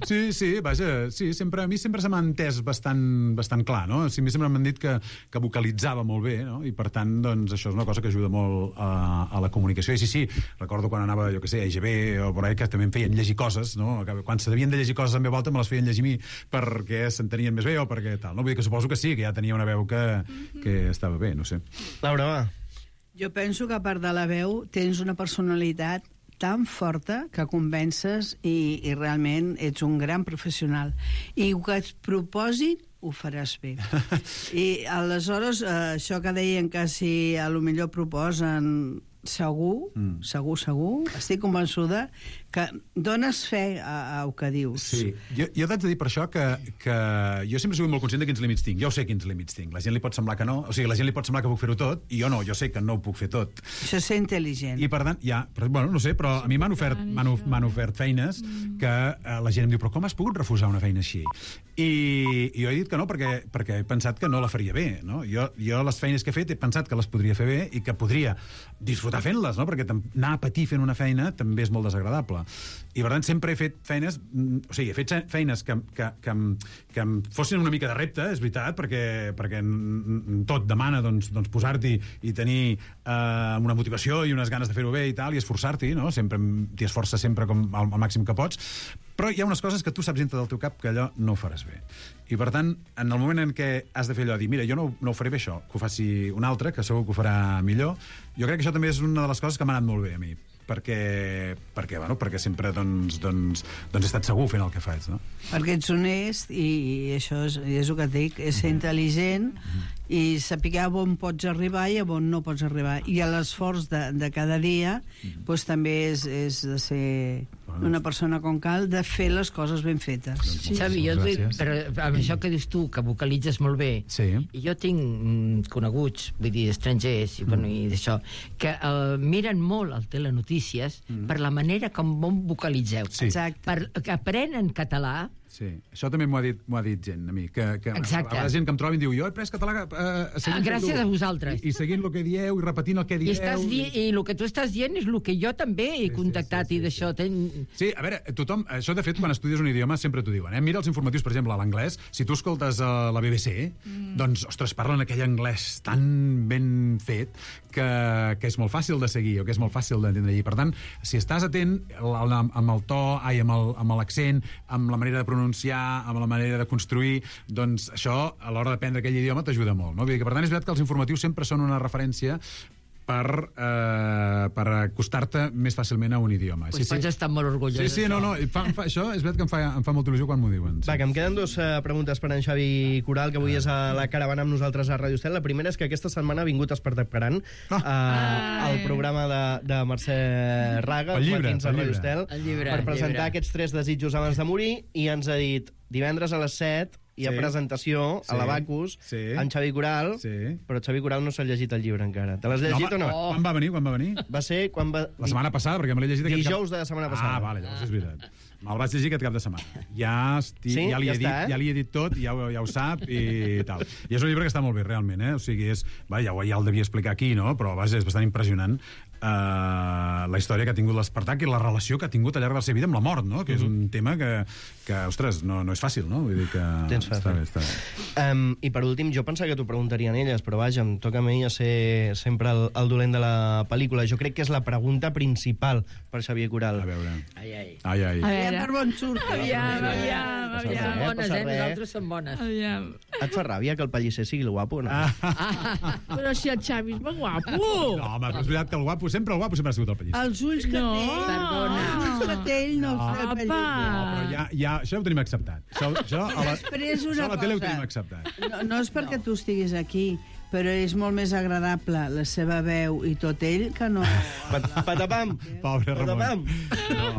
Sí, vaja, sí, a mi sempre se m'ha entès bastant clar, no? A mi sempre m'han dit que vocalitzava molt bé, no? I per tant, doncs, això és una cosa que ajuda molt a la comunicació, i sí, recordo quan anava, jo què sé, a IGB o por ahí, que també em feien llegir coses, no? Quan se devien de llegir coses en veu alta me les feien llegir a mi perquè s'entenien més bé o perquè tal, no? Vull dir que suposo que sí, que ja tenia una veu que estava bé, no sé. Laura, va. Jo penso que a part de la veu tens una personalitat tan forta que convences i realment ets un gran professional. I el que et proposin ho faràs bé. I aleshores, això que deien que si a lo millor proposen segur, estic convençuda que dones fe al que dius. Sí, jo t'haig de dir per això que jo sempre he sigut molt conscient de quins límits tinc. Jo sé quins límits tinc. La gent li pot semblar que no, o sigui, la gent li pot semblar que puc fer-ho tot, i jo no, jo sé que no ho puc fer tot. Això és ser intel·ligent. I per tant, bueno, no sé, però a mi m'han ofert feines que la gent em diu, però com has pogut refusar una feina així? I jo he dit que no, perquè he pensat que no la faria bé, no? Jo les feines que he fet he pensat que les podria fer bé i que podria disfrutar fent-les, no? Perquè anar a patir fent una feina també és molt desagradable. I per tant sempre he fet feines, o sigui, he fet feines que em fossin una mica de repte, és veritat, perquè tot demana doncs, posar-t'hi i tenir una motivació i unes ganes de fer-ho bé i tal, i esforçar-t'hi, no? Sempre t'hi esforces sempre com al màxim que pots, però hi ha unes coses que tu saps dintre del teu cap que allò no ho faràs bé. I per tant, en el moment en què has de fer allò, dir, mira, jo no ho faré bé això, que ho faci un altre, que segur que ho farà millor, jo crec que això també és una de les coses que m'ha anat molt bé a mi, perquè sempre he estat segur fent el que faig, no? Perquè ets honest i això és el que et dic, és ser intel·ligent i saber on pots arribar i on no pots arribar. I l'esforç de cada dia doncs també és de ser una persona com cal, de fer les coses ben fetes. Sí, Xavi, jo però amb això que dius tu, que vocalitzes molt bé, i jo tinc coneguts, vull dir, estrangers, i d'això, que miren molt el telenotícies per la manera com vocalitzeu. Exacte. Que aprenen català. Sí, això també m'ho ha dit gent a mi, que la gent que em troba i diu, jo he pres català gràcies a vosaltres. I seguint el que dieu, i repetint el que dieu. I el que tu estàs dient és el que jo també he contactat i d'això... Sí, a veure, tothom... Això, de fet, quan estudies un idioma sempre t'ho diuen, eh? Mira els informatius, per exemple, a l'anglès, si tu escoltes la BBC, doncs, ostres, parlen aquell anglès tan ben fet que és molt fàcil de seguir, o que és molt fàcil d'entendre. I, per tant, si estàs atent amb el to, amb l'accent, amb la manera de pronunciar, amb la manera de construir, doncs això, a l'hora d'aprendre aquell idioma, t'ajuda molt, no? Vull dir que, per tant, és veritat que els informatius sempre són una referència per acostar-te més fàcilment a un idioma. Pues pots estar molt orgullós. Sí, no, això és veritat que em fa molta il·lusió quan m'ho diuen. Va, que em queden dues preguntes per en Xavi Coral, que avui és a la caravana amb nosaltres a Ràdio Estel. La primera és que aquesta setmana ha vingut Espartacarant al programa de Mercè Raga, els matins a Ràdio Estel, per presentar aquests 3 desitjos abans de morir, i ens ha dit divendres a les 7 hi ha presentació a l'Abacus amb Xavi Coral, però Xavi Coral no s'ha llegit el llibre encara. Te l'has llegit o no? Quan va venir? Va ser quan va... La setmana passada, perquè me l'he llegit... Dijous de la setmana passada. Vale, llavors és veritat. Me'l vaig llegir aquest cap de setmana. Ja li he dit tot, ja ho sap i tal. I és un llibre que està molt bé, realment, eh? O sigui, ja el devia explicar aquí, no? Però, vaja, és bastant impressionant la història que ha tingut l'Espartac i la relació que ha tingut al llarg de la seva vida amb la mort, no? Que és un tema que ostres, no és fàcil, no? Vull dir que... Està bé. I per últim, jo pensava que t'ho preguntarien elles, però vaja, em toca a mi a ser sempre el dolent de la pel·lícula. Jo crec que és la pregunta principal per Xavier Coral. A veure. Aviam per on surt. Aviam. Som bones, nosaltres som bones. Et fa ràbia que el Pellicer sigui el guapo, no? Però si el Xavi és molt guapo. No, home, però és veritat que el guapo sempre ha sigut el Pellicer. Els ulls que té. Perdona. Els ulls que té ell no els té el Pellicer. No, però ja, això ho tenim acceptat. Això a la tele ho tenim acceptat. No és perquè tu estiguis aquí, però és molt més agradable la seva veu i tot ell que no... Patapam! Pobre Ramon.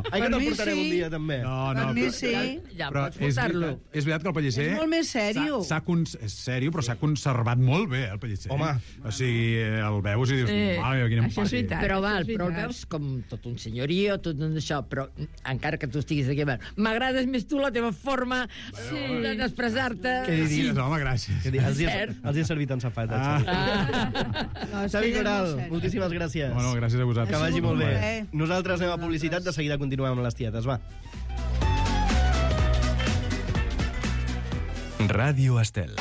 Ai, que te'l portarem un dia, també. Per mi sí. Ja pots portar-lo. És veritat que el Pellicer... És molt més sèrio. És sèrio, però s'ha conservat molt bé, el Pellicer. Home. O sigui, el veus i dius... Això és veritat. Però el veus com tot un senyorio, tot un això, però encara que tu estiguis aquí, m'agrades més tu la teva forma d'expressar-te. Què diries, home, gràcies. Els he servit en safata. Xavi Coral, moltíssimes gràcies. Bueno, gràcies a vosaltres. Que vagi molt bé. Nosaltres anem a publicitat, de seguida continuem amb les tietes, va. Ràdio Estel.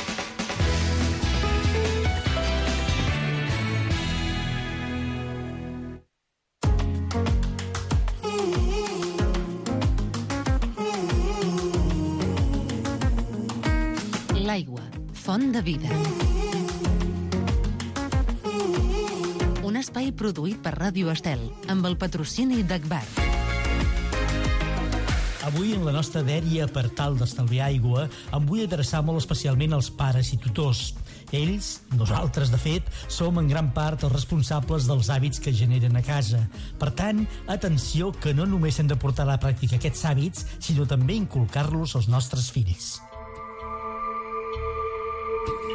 L'aigua, font de vida. Una espai produït per Ràdio Estel, amb el patrocini d'Agbar. Avui, en la nostra dèria per tal d'estalviar aigua, em vull adreçar molt especialment als pares i tutors. Ells, nosaltres, de fet, som en gran part els responsables dels hàbits que generen a casa. Per tant, atenció, que no només hem de portar a la pràctica aquests hàbits, sinó també inculcar-los als nostres fills.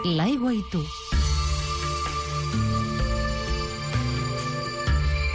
L'aigua i tu.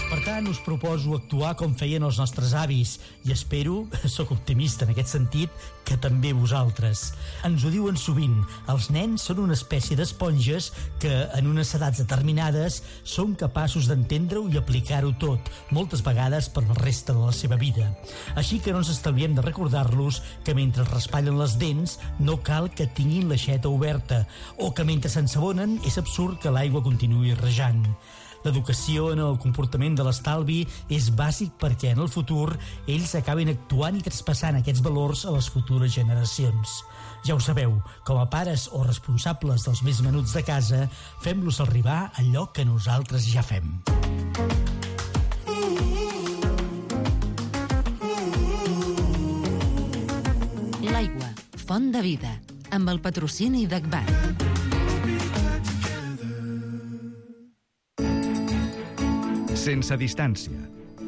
Per tant, us proposo actuar com feien els nostres avis i espero, sóc optimista en aquest sentit, que també vosaltres. Ens ho diuen sovint, els nens són una espècie d'esponges que en unes edats determinades són capaços d'entendre-ho i aplicar-ho tot, moltes vegades per la resta de la seva vida. Així que no ens estalviem de recordar-los que mentre raspallen les dents no cal que tinguin l'aixeta oberta o que mentre s'ensabonen és absurd que l'aigua continuï rejant. L'educació en el comportament de l'estalvi és bàsic perquè en el futur ells acabin actuant i traspassant aquests valors a les futures generacions. Ja ho sabeu, com a pares o responsables dels més menuts de casa, fem-los arribar allò que nosaltres ja fem. L'aigua, font de vida, amb el patrocini d'Agbar. Sense distància.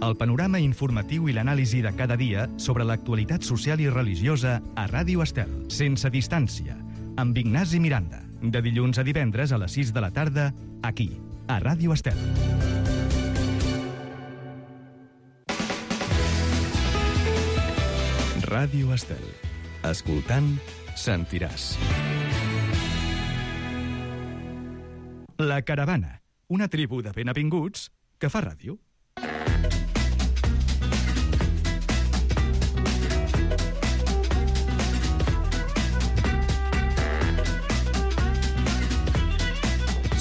El panorama informatiu i l'anàlisi de cada dia sobre l'actualitat social i religiosa a Ràdio Estel. Sense distància. Amb Ignasi Miranda. De dilluns a divendres a les 6 de la tarda, aquí, a Ràdio Estel. Ràdio Estel. Escoltant, sentiràs. La Caravana. Una tribu de benavinguts que fa ràdio.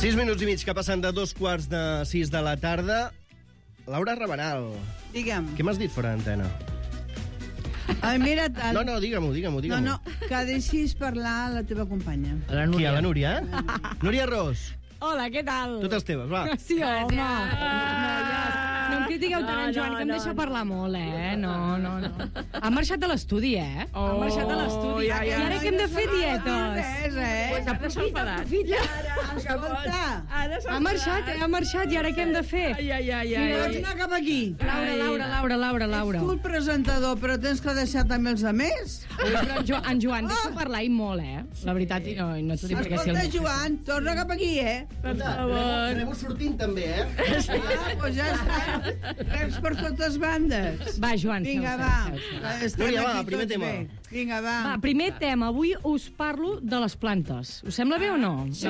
Sis minuts i mig que passen de 2:45 de la tarda. Laura Rabanal. Digue'm. Què m'has dit fora d'antena? Ai, mira... No, digue-m'ho. No, que deixis parlar la teva companya. Qui, a la Núria? Núria Ros. Hola, què tal? Totes teves, va. Sí, home. No em critiqueu tant, en Joan, que em deixa parlar molt, eh? No. Ha marxat de l'estudi, eh? Ha marxat de l'estudi. I ara que hem de fer dietes. Ha marxat, i ara què hem de fer? Pots anar cap aquí. Laura. Tu el presentador, però tens que deixar també els altres. Però en Joan, deixa parlar i molt, eh? La veritat, i no t'ho dic perquè si... Escolta, Joan, torna cap aquí, eh? Per favor. Anem sortint també, eh? Doncs ja està. Reps per totes bandes. Va, Joan, vinga, seu. Núria, va, primer tema. Vinga, va. Va, primer tema. Avui us parlo de les plantes. Us sembla bé o no? Sí.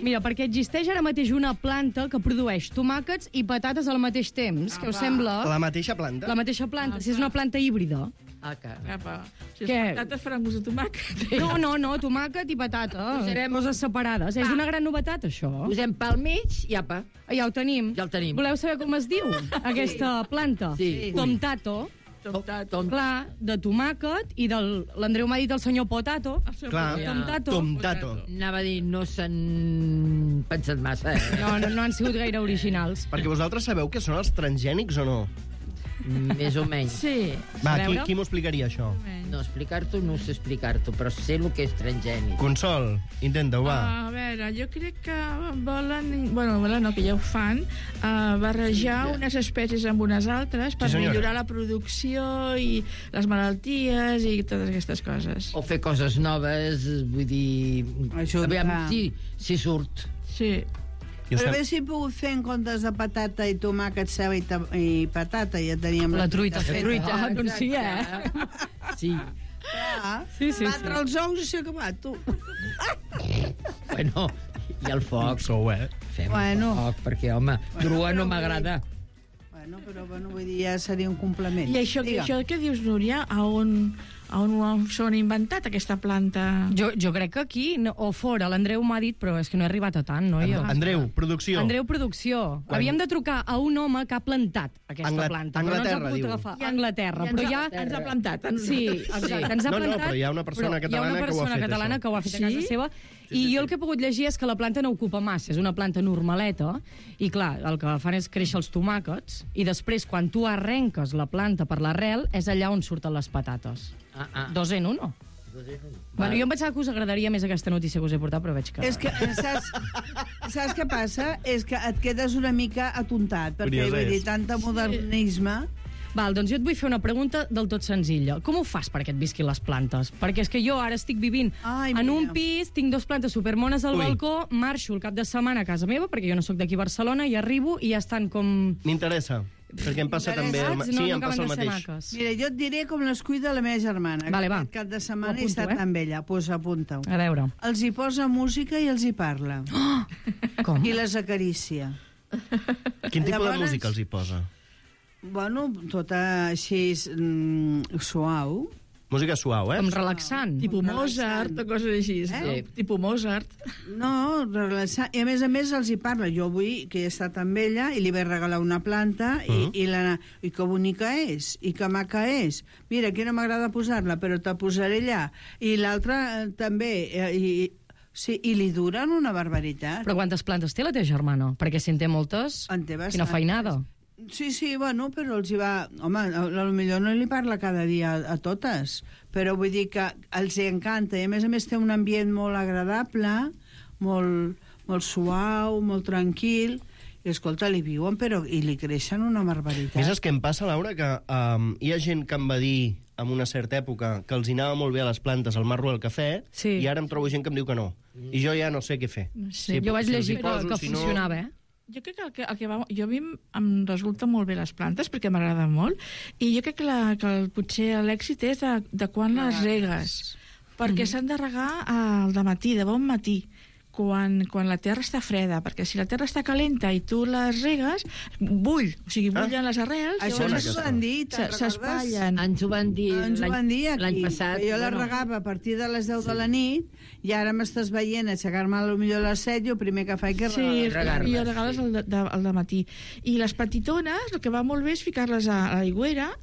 Mira, perquè existeix ara mateix una planta que produeix tomàquets i patates al mateix temps. Què us sembla? La mateixa planta? La mateixa planta. Si és una planta híbrida. Si les patates faran gust de tomàquet. No, tomàquet i patata. Coses separades. És una gran novetat, això. Posem pel mig i apa. Ja ho tenim. Ja el tenim. Voleu saber com es diu, aquesta planta? Sí. Tomtato. Clar, de tomàquet, i l'Andreu m'ha dit el senyor Potato. Clar, Tomtato. Anava a dir, no s'han pensat massa. No han sigut gaire originals. Perquè vosaltres sabeu què són els transgènics o no? Més o menys. Sí. Va, qui m'ho explicaria, això? No, explicar-t'ho no sé explicar-t'ho, però sé el que és transgènic. Consol, intenta-ho, va. A veure, jo crec que volen... Bueno, no, que ja ho fan, barrejar unes espècies amb unes altres per millorar la producció i les malalties i totes aquestes coses. O fer coses noves, vull dir... Aviam, si surt. Sí. Però bé, si he pogut fer en comptes de patata i tomàquet, ceba i patata, ja teníem la truita feta. Doncs sí, Sí. Sí. Batre els ous i s'ha acabat, tu. Bueno, i el foc. Fem foc, perquè, home, grua no m'agrada. Però vull dir, ja seria un complement. I això que dius, Núria, a on s'ho han inventat, aquesta planta? Jo crec que aquí, o fora, l'Andreu m'ha dit, però és que no he arribat a tant, no? Andreu, producció. Havíem de trucar a un home que ha plantat aquesta planta. Anglaterra, diu. Anglaterra, però ja... Ens ha plantat. Sí, exacte, ens ha plantat. No, però hi ha una persona catalana que ho ha fet, que ho ha fet a casa seva, I jo el que he pogut llegir és que la planta no ocupa massa, és una planta normaleta, i clar, el que fan és créixer els tomàquets, i després, quan tu arrenques la planta per l'arrel, és allà on surten les patates. Dos en uno. Bueno, jo em pensava que us agradaria més aquesta notícia que us he portat, però veig que... És que, saps què passa? És que et quedes una mica atontat, perquè vull dir, tanta modernisme... Val, doncs jo et vull fer una pregunta del tot senzilla. Com ho fas perquè et visquin les plantes? Perquè és que jo ara estic vivint en un pis, tinc 2 plantes supermones al balcó, marxo el cap de setmana a casa meva, perquè jo no sóc d'aquí a Barcelona, i arribo i ja estan com... M'interessa, perquè em passa també... Sí, em passa el mateix. Mira, jo et diré com les cuida la meva germana. Vale, va. Aquest cap de setmana he estat amb ella. Doncs apunta-ho. A veure. Els hi posa música i els hi parla. Com? I les acaricia. Quin tipus de música els hi posa? Bueno, tota així suau. Música suau, Com relaxant. Tipus Mozart o coses així. Tipus Mozart. No, relaxant. I a més els hi parla. Jo avui, que he estat amb ella, i li vaig regalar una planta, i que bonica és, i que maca és. Mira, aquí no m'agrada posar-la, però te posaré allà. I l'altra també... Sí, i li duren una barbaritat. Però quantes plantes té la teva germana? Perquè si en té moltes, quina feinada. Sí, bueno, però els hi va... Home, potser no li parla cada dia a totes, però vull dir que els hi encanta, i a més té un ambient molt agradable, molt suau, molt tranquil, i escolta, li viuen, però i li creixen una barbaritat. Saps què em passa, Laura? Que hi ha gent que em va dir en una certa època que els hi anava molt bé a les plantes el marro del cafè, i ara em trobo gent que em diu que no. I jo ja no sé què fer. Jo vaig llegir que funcionava, Jo crec que a mi em resulta molt bé les plantes, perquè m'agraden molt, i jo crec que potser l'èxit és de quan les regues, perquè s'han de regar al dematí, de bon matí, quan la terra està freda, perquè si la terra està calenta i tu les regues, bullen les arrels, això ens ho van dir, s'espatllen. Ens ho van dir l'any passat. Jo la regava a partir de les 10 de la nit, i ara m'estàs veient aixecar-me potser a les 7, i el primer que faig és regar-les. Sí, regales al dematí. I les petitones, el que va molt bé és ficar-les a l'aigüera,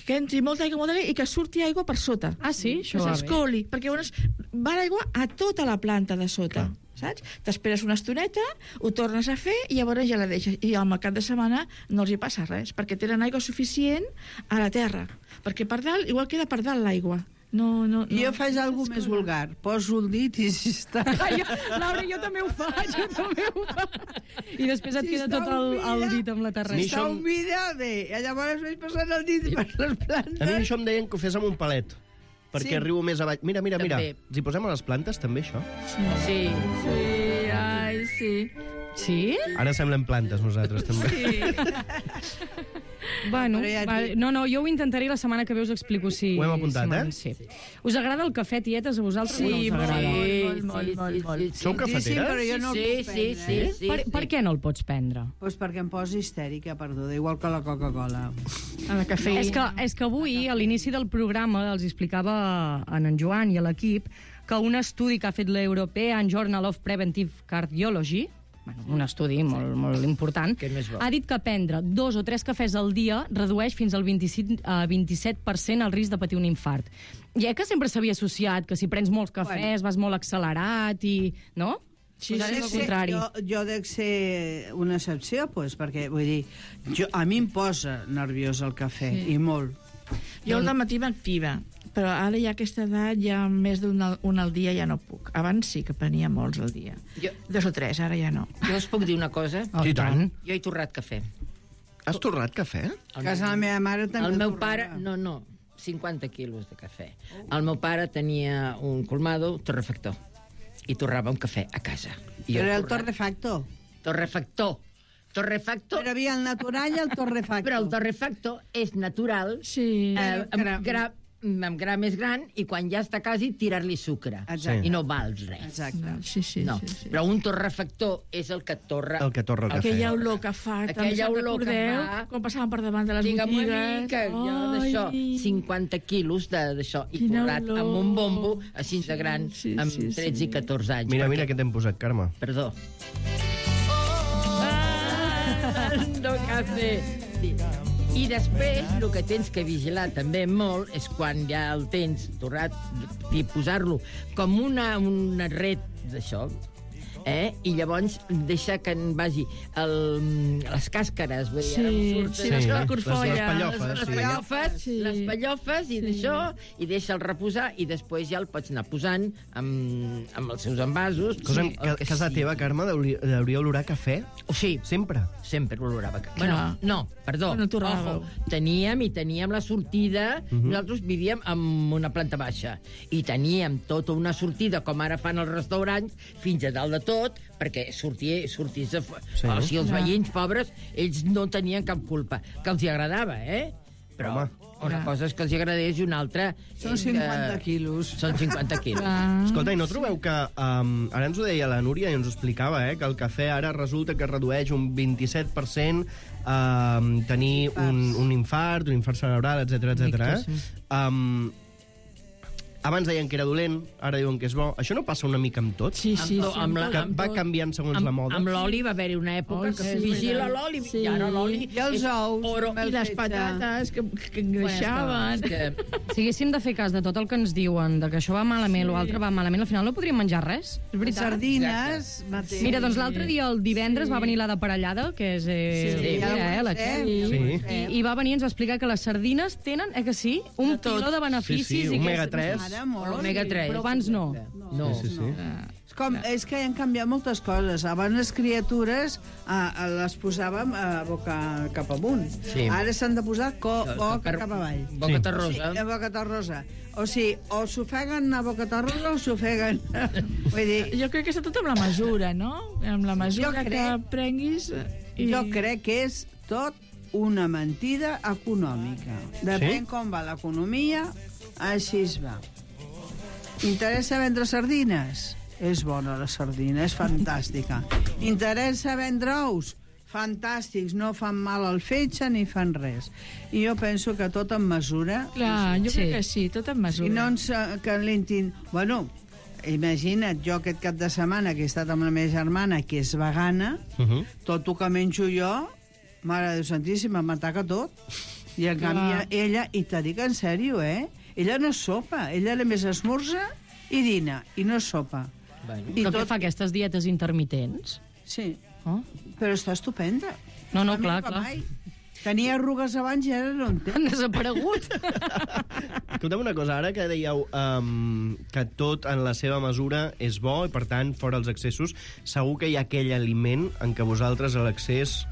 que entri molta aigua, i que surti aigua per sota. Ah, sí? Això va bé. S'escoli, perquè llavors va l'aigua a tota la planta de sota. Saps? T'esperes una estoneta, ho tornes a fer i llavors ja la deixes. I al cap de setmana no els hi passa res, perquè tenen aigua suficient a la terra. Perquè per dalt, igual queda per dalt l'aigua. No. Jo faig alguna més vulgar. Poso el dit i si està... Laura, jo també ho faig, I després et queda tot el dit amb la terra. Si està humida, bé. I llavors vaig passant el dit per les plantes. A mi això em deien que ho fes amb un palet, perquè arribo més avall. Mira. Els hi posem a les plantes, també, això? Sí. Ai, sí. Sí? Ara semblem plantes, nosaltres, també. Sí. Bueno, no, jo ho intentaré la setmana que ve, us explico si... Ho hem apuntat, Sí. Us agrada el cafè, tietes, a vosaltres? Sí, molt. Sou cafeteres? Sí, però jo no el puc prendre. Sí. Per què no el pots prendre? Doncs perquè em posa histèrica, perduda, igual que la Coca-Cola. A la cafeïna. És que avui, a l'inici del programa, els explicava a en Joan i a l'equip que un estudi que ha fet l'European Journal of Preventive Cardiology, un estudi molt important, ha dit que prendre 2 o 3 cafès al dia redueix fins al 27% el risc de patir un infart. Ja que sempre s'havia associat que si prens molts cafès vas molt accelerat i... no? Sí, al contrari. Jo dec ser una excepció, perquè vull dir, a mi em posa nerviós el cafè, i molt. Jo al dematí m'activa, però ara ja a aquesta edat, ja més d'un al dia ja no puc. Abans sí que prenia molts al dia. 2 o 3, ara ja no. Jo us puc dir una cosa? I tant. Jo he torrat cafè. Has torrat cafè? A casa de la meva mare també el meu pare, no, 50 quilos de cafè. El meu pare tenia un colmado torrefactor i torrava un cafè a casa. Però era el torrefactor. Torrefactor. Però havia el natural i el torrefactor. Però el torrefactor és natural, sí, amb gra més gran, i quan ja està quasi, tirar-li sucre. Exacte. I no val res. Exacte. Sí. Però un torrefactor és el que torra... El que torra el cafè. Aquella olor que fa. Aquella olor que fa... Quan passàvem per davant de les botigues. Jo d'això, 50 quilos d'això, i torrat amb un bombo, així de gran, amb 13 i 14 anys. Mira què t'hem posat, Carme. Perdó. No cafè. I després, el que tens que vigilar també molt és quan ja el tens torrat i posar-lo com una ret d'això, i llavors deixa que en vagi les càscares, vull dir, les pallofes i d'això, i deixa'l reposar i després ja el pots anar posant amb els seus envasos. Cosa que a casa teva, Carme, hauria olorar cafè? Sí. Sempre? Sempre olorava cafè. Bueno, no, perdó. Ojo, teníem la sortida, nosaltres vivíem en una planta baixa, i teníem tota una sortida, com ara fan els restaurants, fins a dalt de tot, perquè sortís de... O sigui, els veïns pobres, ells no tenien cap culpa. Que els hi agradava, Però una cosa és que els hi agradés i una altra... Són 50 quilos. Són 50 quilos. Escolta, i no trobeu que... ara ens ho deia la Núria i ens ho explicava, que el cafè ara resulta que redueix un 27% tenir un infart cerebral, etc. Abans deien que era dolent, ara diuen que és bo. Això no passa una mica amb tot? Sí. Que va canviant segons la moda? Amb l'oli va haver-hi una època que vigila l'oli, i ara l'oli... I els ous. I les patates que engreixaven. Si haguéssim de fer cas de tot el que ens diuen, de que això va malament, l'altre va malament, al final no podríem menjar res. És veritat. Sardines, mateix. Mira, doncs l'altre dia, el divendres, va venir la de Parellada, que és... la Txell. I va venir i ens va explicar que les sardines tenen, que sí, un quilo de beneficis. Sí, omega-3. Omega-3. Però abans no. No. És que han canviat moltes coses. Abans les criatures les posàvem cap amunt. Sí. Ara s'han de posar boca cap avall. Bocata rosa. Sí, bocata rosa. O sigui, o s'ofeguen a bocata rosa o s'ofeguen... Vull dir... Jo crec que està tot amb la mesura, no? Amb la mesura que prenguis... Jo crec que és tot una mentida econòmica. Depèn com va l'economia, així es va. Interessa vendre sardines? És bona la sardina, és fantàstica. Interessa vendre ous? Fantàstics, no fan mal al fetge ni fan res. I jo penso que tot en mesura... Clar, jo crec que sí, tot en mesura. I no ens calentin... Bueno, imagina't, jo aquest cap de setmana que he estat amb la meva germana, que és vegana, tot el que menjo jo, Mare de Déu Santíssima, m'ataca tot. I en canvi ella, i t'ha dit en sèrio, ella no sopa, ella només esmorza i dina, i no sopa. I tot fa aquestes dietes intermitents? Sí, però està estupenda. No, clar. Tenia arrugues abans i ara no en té. Han desaparegut. Escolta'm una cosa, ara que dèieu que tot en la seva mesura és bo i, per tant, fora els excessos, segur que hi ha aquell aliment en què vosaltres a l'excés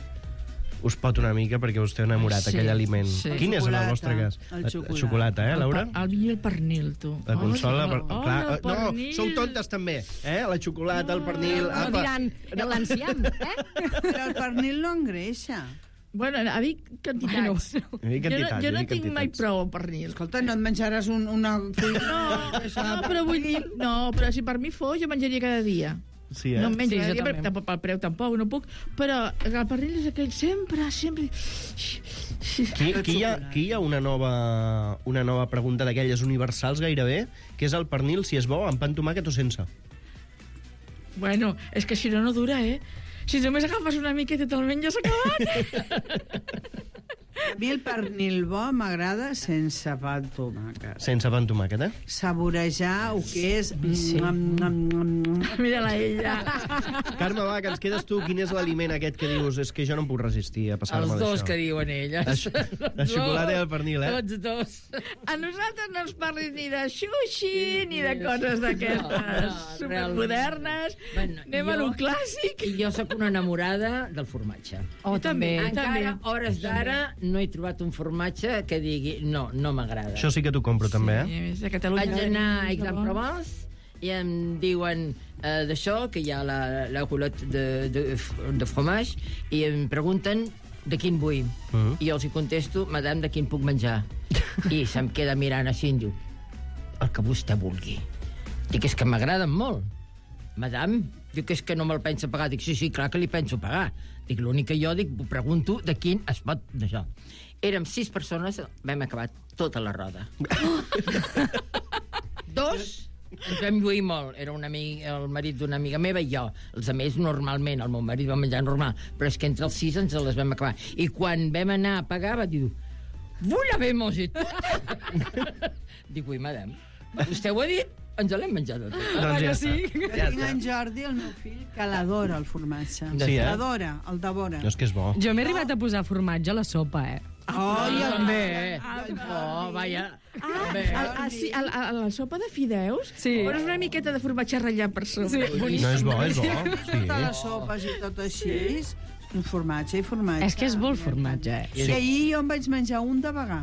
us pot una mica perquè us té enamorat, aquell aliment. Quin és en el vostre cas? El xocolata, Laura? El vi i el pernil, tu. La consola... No, sou tontes també, la xocolata, el pernil... No diran l'enciam, Però el pernil no engreixa. Bueno, a dir quantitats. Jo no tinc mai prou pernil. Escolta, no et menjaràs una... No, però vull dir... No, però si per mi fos, jo menjaria cada dia. Sí, no em menjo cada dia, però pel preu tampoc, no puc. Però el pernil és aquell sempre... Aquí hi ha una nova pregunta d'aquelles universals gairebé, que és el pernil, si és bo, amb pa amb tomàquet o sense. Bueno, és que si no dura, Si només agafes una miqueta i te'l menges acabat. A mi el pernil bo m'agrada sense pa amb tomàquet. Sense pa amb tomàquet, Saborejar el que és... Mira-la ella. Carme, va, que ens quedes tu. Quin és l'aliment aquest que dius? És que jo no em puc resistir a passar-me d'això. Els dos que diuen elles. La xocolata i el pernil, Tots dos. A nosaltres no ens parlis ni de sushi, ni de coses d'aquestes supermodernes. Anem a lo clàssic. I jo sóc una enamorada del formatge. També. Encara, hores d'ara, no he trobat un formatge que digui no m'agrada. Això sí que t'ho compro, també, Sí, a Catalunya. Vaig anar a Aix-en-Provence i em diuen d'això, que hi ha la culotte de fromage, i em pregunten de quin vull. I jo els hi contesto, madame, de quin puc menjar? I se'm queda mirant així i diu, el que vostè vulgui. Dic, és que m'agraden molt. Madame, diu que és que no me'l pensa pagar. Dic, sí, clar que li penso pagar. Dic, l'únic que jo pregunto de quin es pot d'això. Érem 6 persones, vam acabar tota la roda. 2 Ens vam lluir molt. Era el marit d'una amiga meva i jo. Els altres, normalment, el meu marit va menjar normal, però és que entre els 6 ens les vam acabar. I quan vam anar a pagar, va dir, vull haver-mos i tot. Dic, ui, madame, vostè ho ha dit? Ens l'hem menjat tot. Doncs ja sí. Tinc en Jordi, el meu fill, que l'adora, el formatge. Sí, L'adora, el devora. No, és que és bo. Jo m'he arribat a posar formatge a la sopa, Oh, ja també. Oh, vaja. A la sopa de fideus? Sí. Pones una miqueta de formatge ratllat per sobre. Sí. No, és bo, és bo. Totes les sopes i tot així, un formatge i formatge. És que és molt formatge, I ahir jo em vaig menjar un de vegà.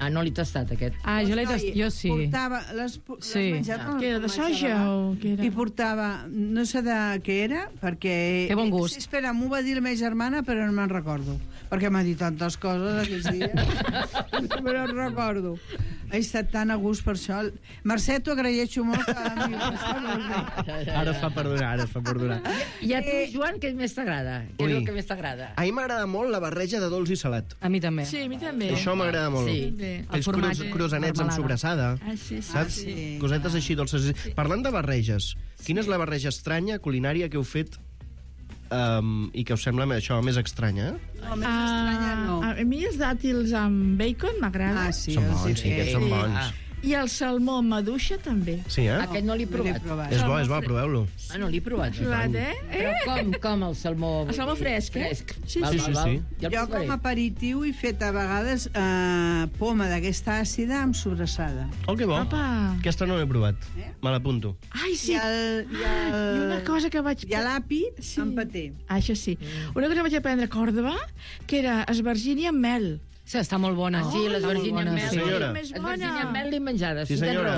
Ah, no l'he tastat, aquest. Ah, jo l'he tastat, jo sí. Portava, l'has menjat amb Que era de soja o què era? I portava, no sé de què era, perquè... Té bon gust. Sí, espera, m'ho va dir la meva germana, però no me'n recordo. Perquè m'ha dit tantes coses aquests dies. Però no recordo. He estat tan a gust per això. Mercè, t'ho agraeixo molt. Ara es fa perdonar. I a tu, Joan, què més t'agrada? Què és el que més t'agrada? A mi m'agrada molt la barreja de dolç i salat. A mi també. Sí, a mi també. Això m'agrada molt. Sí. Els croissants amb sobrassada. Saps? Sí. Cosetes així dolces. Parlant de barreges, quina és la barreja estranya culinària que heu fet i que us sembla això més estranya? No, més estranya no. A mi els dàtils amb bacon m'agrada. Sí, Són bons, sí, aquests són bons. I el salmó amb maduixa també. Sí, Aquest no l'he provat. És bo, proveu-lo. Ah, no l'he provat. Provat, Però com el salmó? El salmó fresc, Sí. Jo com a aperitiu he fet a vegades poma d'aquesta àcida amb sobrassada. Oh, que bo. Aquesta no l'he provat. Me l'apunto. Ai, sí. I una cosa que vaig... I l'àpid amb paté. Això sí. Una cosa que vaig aprendre a Còrdova, que era esvergínia amb mel. Sí, està molt bona. Sí, les vergínies amb mel. Sí, senyora. Més Les bona. vergínies amb mel l'he menjada. Sí, senyora.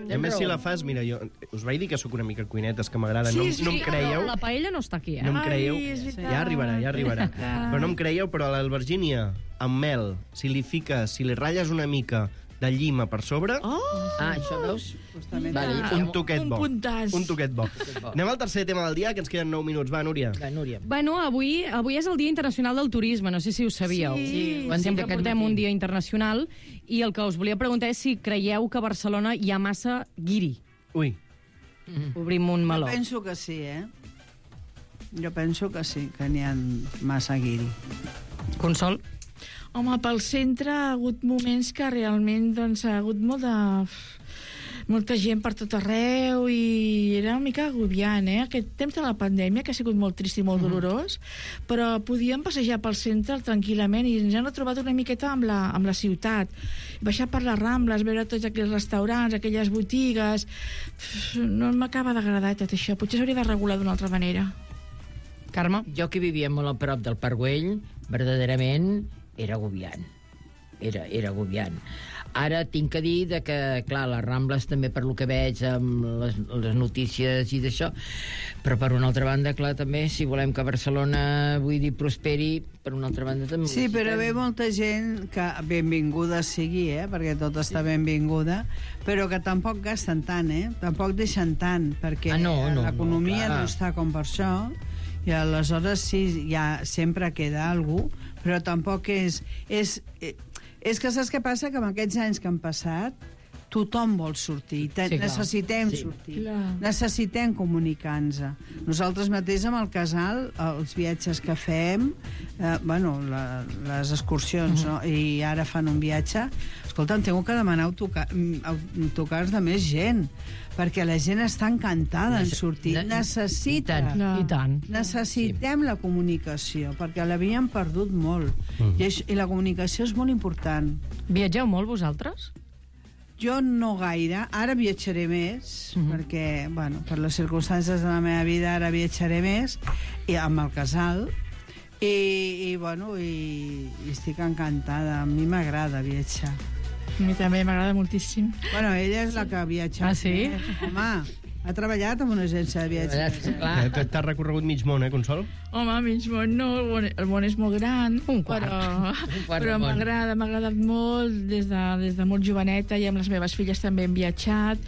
I a més, si la raó. fas, mira, jo us vaig dir que sóc una mica cuinetes, que m'agrada. Sí, No em creieu. La paella no està aquí, No em creieu. Ai, és veritat. Ja arribarà. Però no em creieu, però a l'albergínia amb mel, si li ratlles una mica de llima per sobre, Ah, això veus? Vale. un toquet bo. Un puntàs. Un toquet bo. Anem al tercer tema del dia, que ens queden 9 minuts. Va, Núria. Va, Núria. Bueno, avui és el Dia Internacional del Turisme, no sé si ho sabíeu. Sí, ho han dit Sempre aquest portem matí. un dia internacional i el que us volia preguntar és si creieu que a Barcelona hi ha massa guiri. Ui. Obrim un meló. Jo penso que sí, Jo penso que sí, que n'hi ha massa guiri. Consol? Home, pel centre ha hagut moments que realment doncs, ha hagut molta gent per tot arreu i era una mica agobiant, Aquest temps de la pandèmia, que ha sigut molt trist i molt dolorós, però podíem passejar pel centre tranquil·lament i ens hem trobat una miqueta amb la ciutat. Baixar per les Rambles, veure tots aquells restaurants, aquelles botigues... No m'acaba d'agradar tot això. Potser s'hauria de regular d'una altra manera. Carme? Jo que vivia molt a prop del Parc Güell, verdaderament era agobiant. Era agobiant. Ara tinc que dir que, clar, les Rambles també per lo que veig amb les notícies i d'això, però per una altra banda, clar, també, si volem que Barcelona, vull dir, prosperi, per una altra banda també... Sí, però ve molta gent que benvinguda sigui, perquè tot està benvinguda, però que tampoc gasten tant, tampoc deixen tant, perquè l'economia no està com per això, i aleshores sí, ja sempre queda algú, però tampoc és que saps què passa? Que amb aquests anys que han passat tothom vol sortir, necessitem sortir, necessitem comunicar-nos. Nosaltres mateix amb el casal, els viatges que fem, les excursions, no? I ara fan un viatge, escolta, tengo que demanar autocars de més gent, perquè la gent està encantada en sortir. Necessiten. I tant. Necessitem la comunicació, perquè l'havíem perdut molt. I la comunicació és molt important. Viatgeu molt, vosaltres? Jo no gaire. Ara viatjaré més, perquè, per les circumstàncies de la meva vida, ara viatjaré més, i amb el casal, i estic encantada. A mi m'agrada viatjar. A mi també m'agrada moltíssim. Bueno, ella és la que ha viatjat. Ah, sí? Home, ha treballat en una agència de viatges. T'has recorregut mig món, Consol? Home, mig món no, el món és molt gran, però m'ha agradat molt des de molt joveneta, i amb les meves filles també hem viatjat,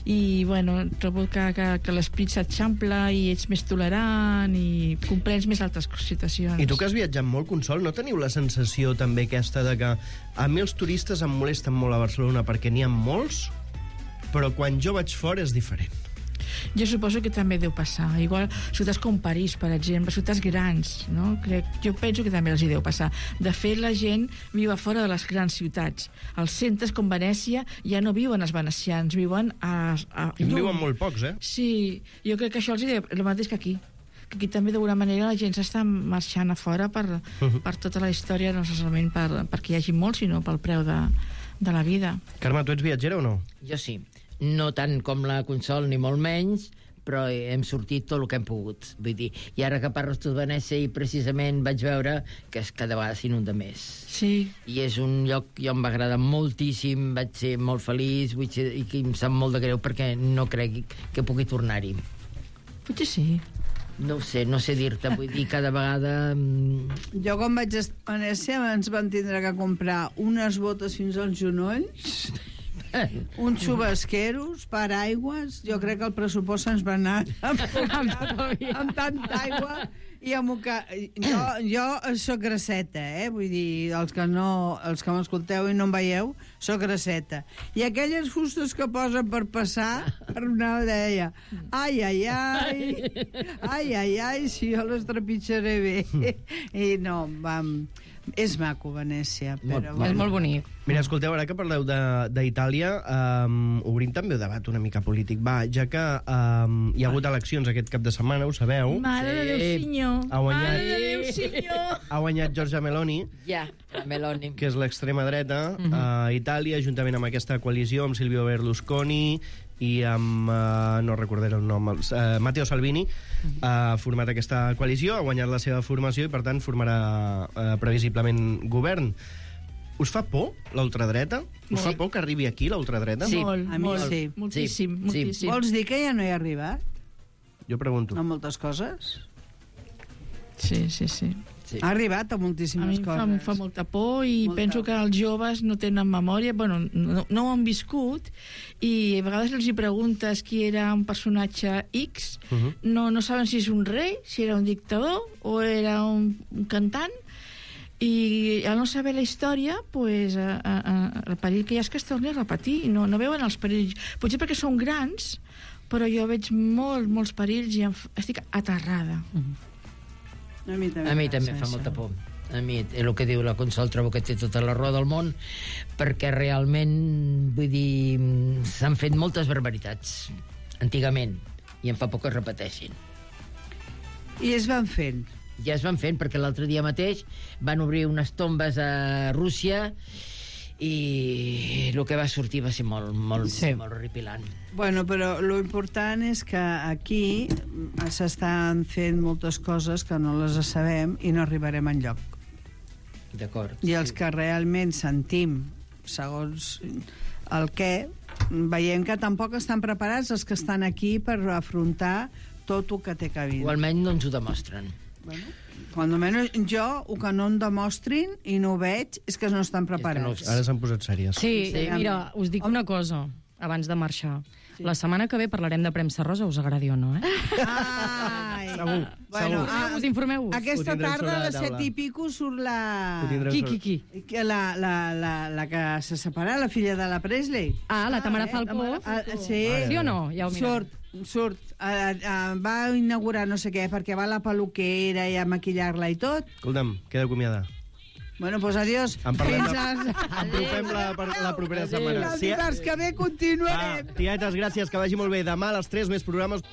i trobo que l'esprit s'eixampla i ets més tolerant i comprens més altres situacions. I tu que has viatjat molt, Consol, no teniu la sensació també aquesta de que a mi els turistes em molesten molt a Barcelona perquè n'hi ha molts, però quan jo vaig fora és diferent. Jo suposo que també deu passar. Igual ciutats com París, per exemple, ciutats grans, no? Jo penso que també els hi deu passar. De fet, la gent viu a fora de les grans ciutats. Els centres com Venècia ja no viuen els venecians, viuen a I viuen molt pocs, eh? Sí, jo crec que això els hi deu... El mateix que aquí. Que aquí també d'alguna manera la gent s'està marxant a fora per tota la història, no solament perquè hi hagi molt, sinó pel preu de la vida. Carme, tu ets viatgera o no? Jo sí. No tant com la Consol, ni molt menys, però hem sortit tot el que hem pogut. Vull dir, i ara que parles tu de Venècia, i precisament vaig veure que cada vegada s'inunda més. Sí. I és un lloc que em va agradar moltíssim, vaig ser molt feliç, i que em sap molt de greu perquè no crec que pugui tornar-hi. Potser sí. No ho sé, no sé dir-te, vull dir, cada vegada... Jo quan vaig a Venècia ens van tindre que comprar unes botes fins als genolls, uns xubasqueros, paraigües. Jo crec que el pressupost se'ns va anar amb tanta aigua i amb que... Jo soc grasseta, vull dir, els que m'escolteu i no em veieu, soc grasseta. I aquelles fustes que posen per passar, per una deia, ai, si jo les trepitjaré bé. I no, és maco, Venècia. Però... És molt bonic. Mira, escolteu, ara que parleu d'Itàlia, obrim també el debat una mica polític. Va, ja que hi ha hagut eleccions aquest cap de setmana, ho sabeu? Mare de Déu, senyor! Ha guanyat Giorgia Meloni. Ja, Meloni. Que és l'extrema dreta a Itàlia, juntament amb aquesta coalició, amb Silvio Berlusconi i amb, no recordaré el nom, Matteo Salvini, ha format aquesta coalició, ha guanyat la seva formació i, per tant, formarà previsiblement govern. Us fa por la ultradreta? Us fa por que arribi aquí la ultradreta? Sí, a mi sí. Moltíssim. Vols dir que ja no hi ha arribat? Jo pregunto. A moltes coses? Sí. Ha arribat a moltíssimes coses. A mi em fa molta por i penso que els joves no tenen memòria, bueno, no ho han viscut, i a vegades els hi preguntes qui era un personatge X, no saben si és un rei, si era un dictador o era un cantant, i al no saber la història, pues, el perill que hi ha és que es torni a repetir, no veuen els perills. Potser perquè són grans, però jo veig molts perills i estic aterrada. A mi també fa molta por. A mi, el que diu la Consol, trobo que té tota la raó del món, perquè realment, vull dir, s'han fet moltes barbaritats antigament, i em fa por que es repeteixin. I es van fent. Ja es van fent, perquè l'altre dia mateix van obrir unes tombes a Rússia i el que va sortir va ser molt horripilant. Bueno, però lo important és que aquí s'estan fent moltes coses que no les sabem i no arribarem enlloc. D'acord. I els que realment sentim, segons el què, veiem que tampoc estan preparats els que estan aquí per afrontar tot el que té que vir. O almenys no ens ho demostren. Bueno, quan almenys jo, el que no em demostrin i no ho veig, és que no estan preparats. Ara s'han posat sèries. Sí, mira, us dic una cosa abans de marxar. La setmana que ve parlarem de premsa rosa, us agradi o no, Ai. Segur. Bueno, informeu-vos. Aquesta tarda a les 7:30 surt la... Qui? La que se separa, la filla de la Presley. La Tamara Falcó. Sí. Sí o no? Ja ho mirem. Surt. Va inaugurar no sé què, perquè va a la peluquera i a maquillar-la i tot. Escolta'm, queda acomiada. Bueno, doncs adiós. Apropem la propera setmana. El dimarts que ve continuarem. Tietes, gràcies, que vagi molt bé. Demà a les 3 més programes.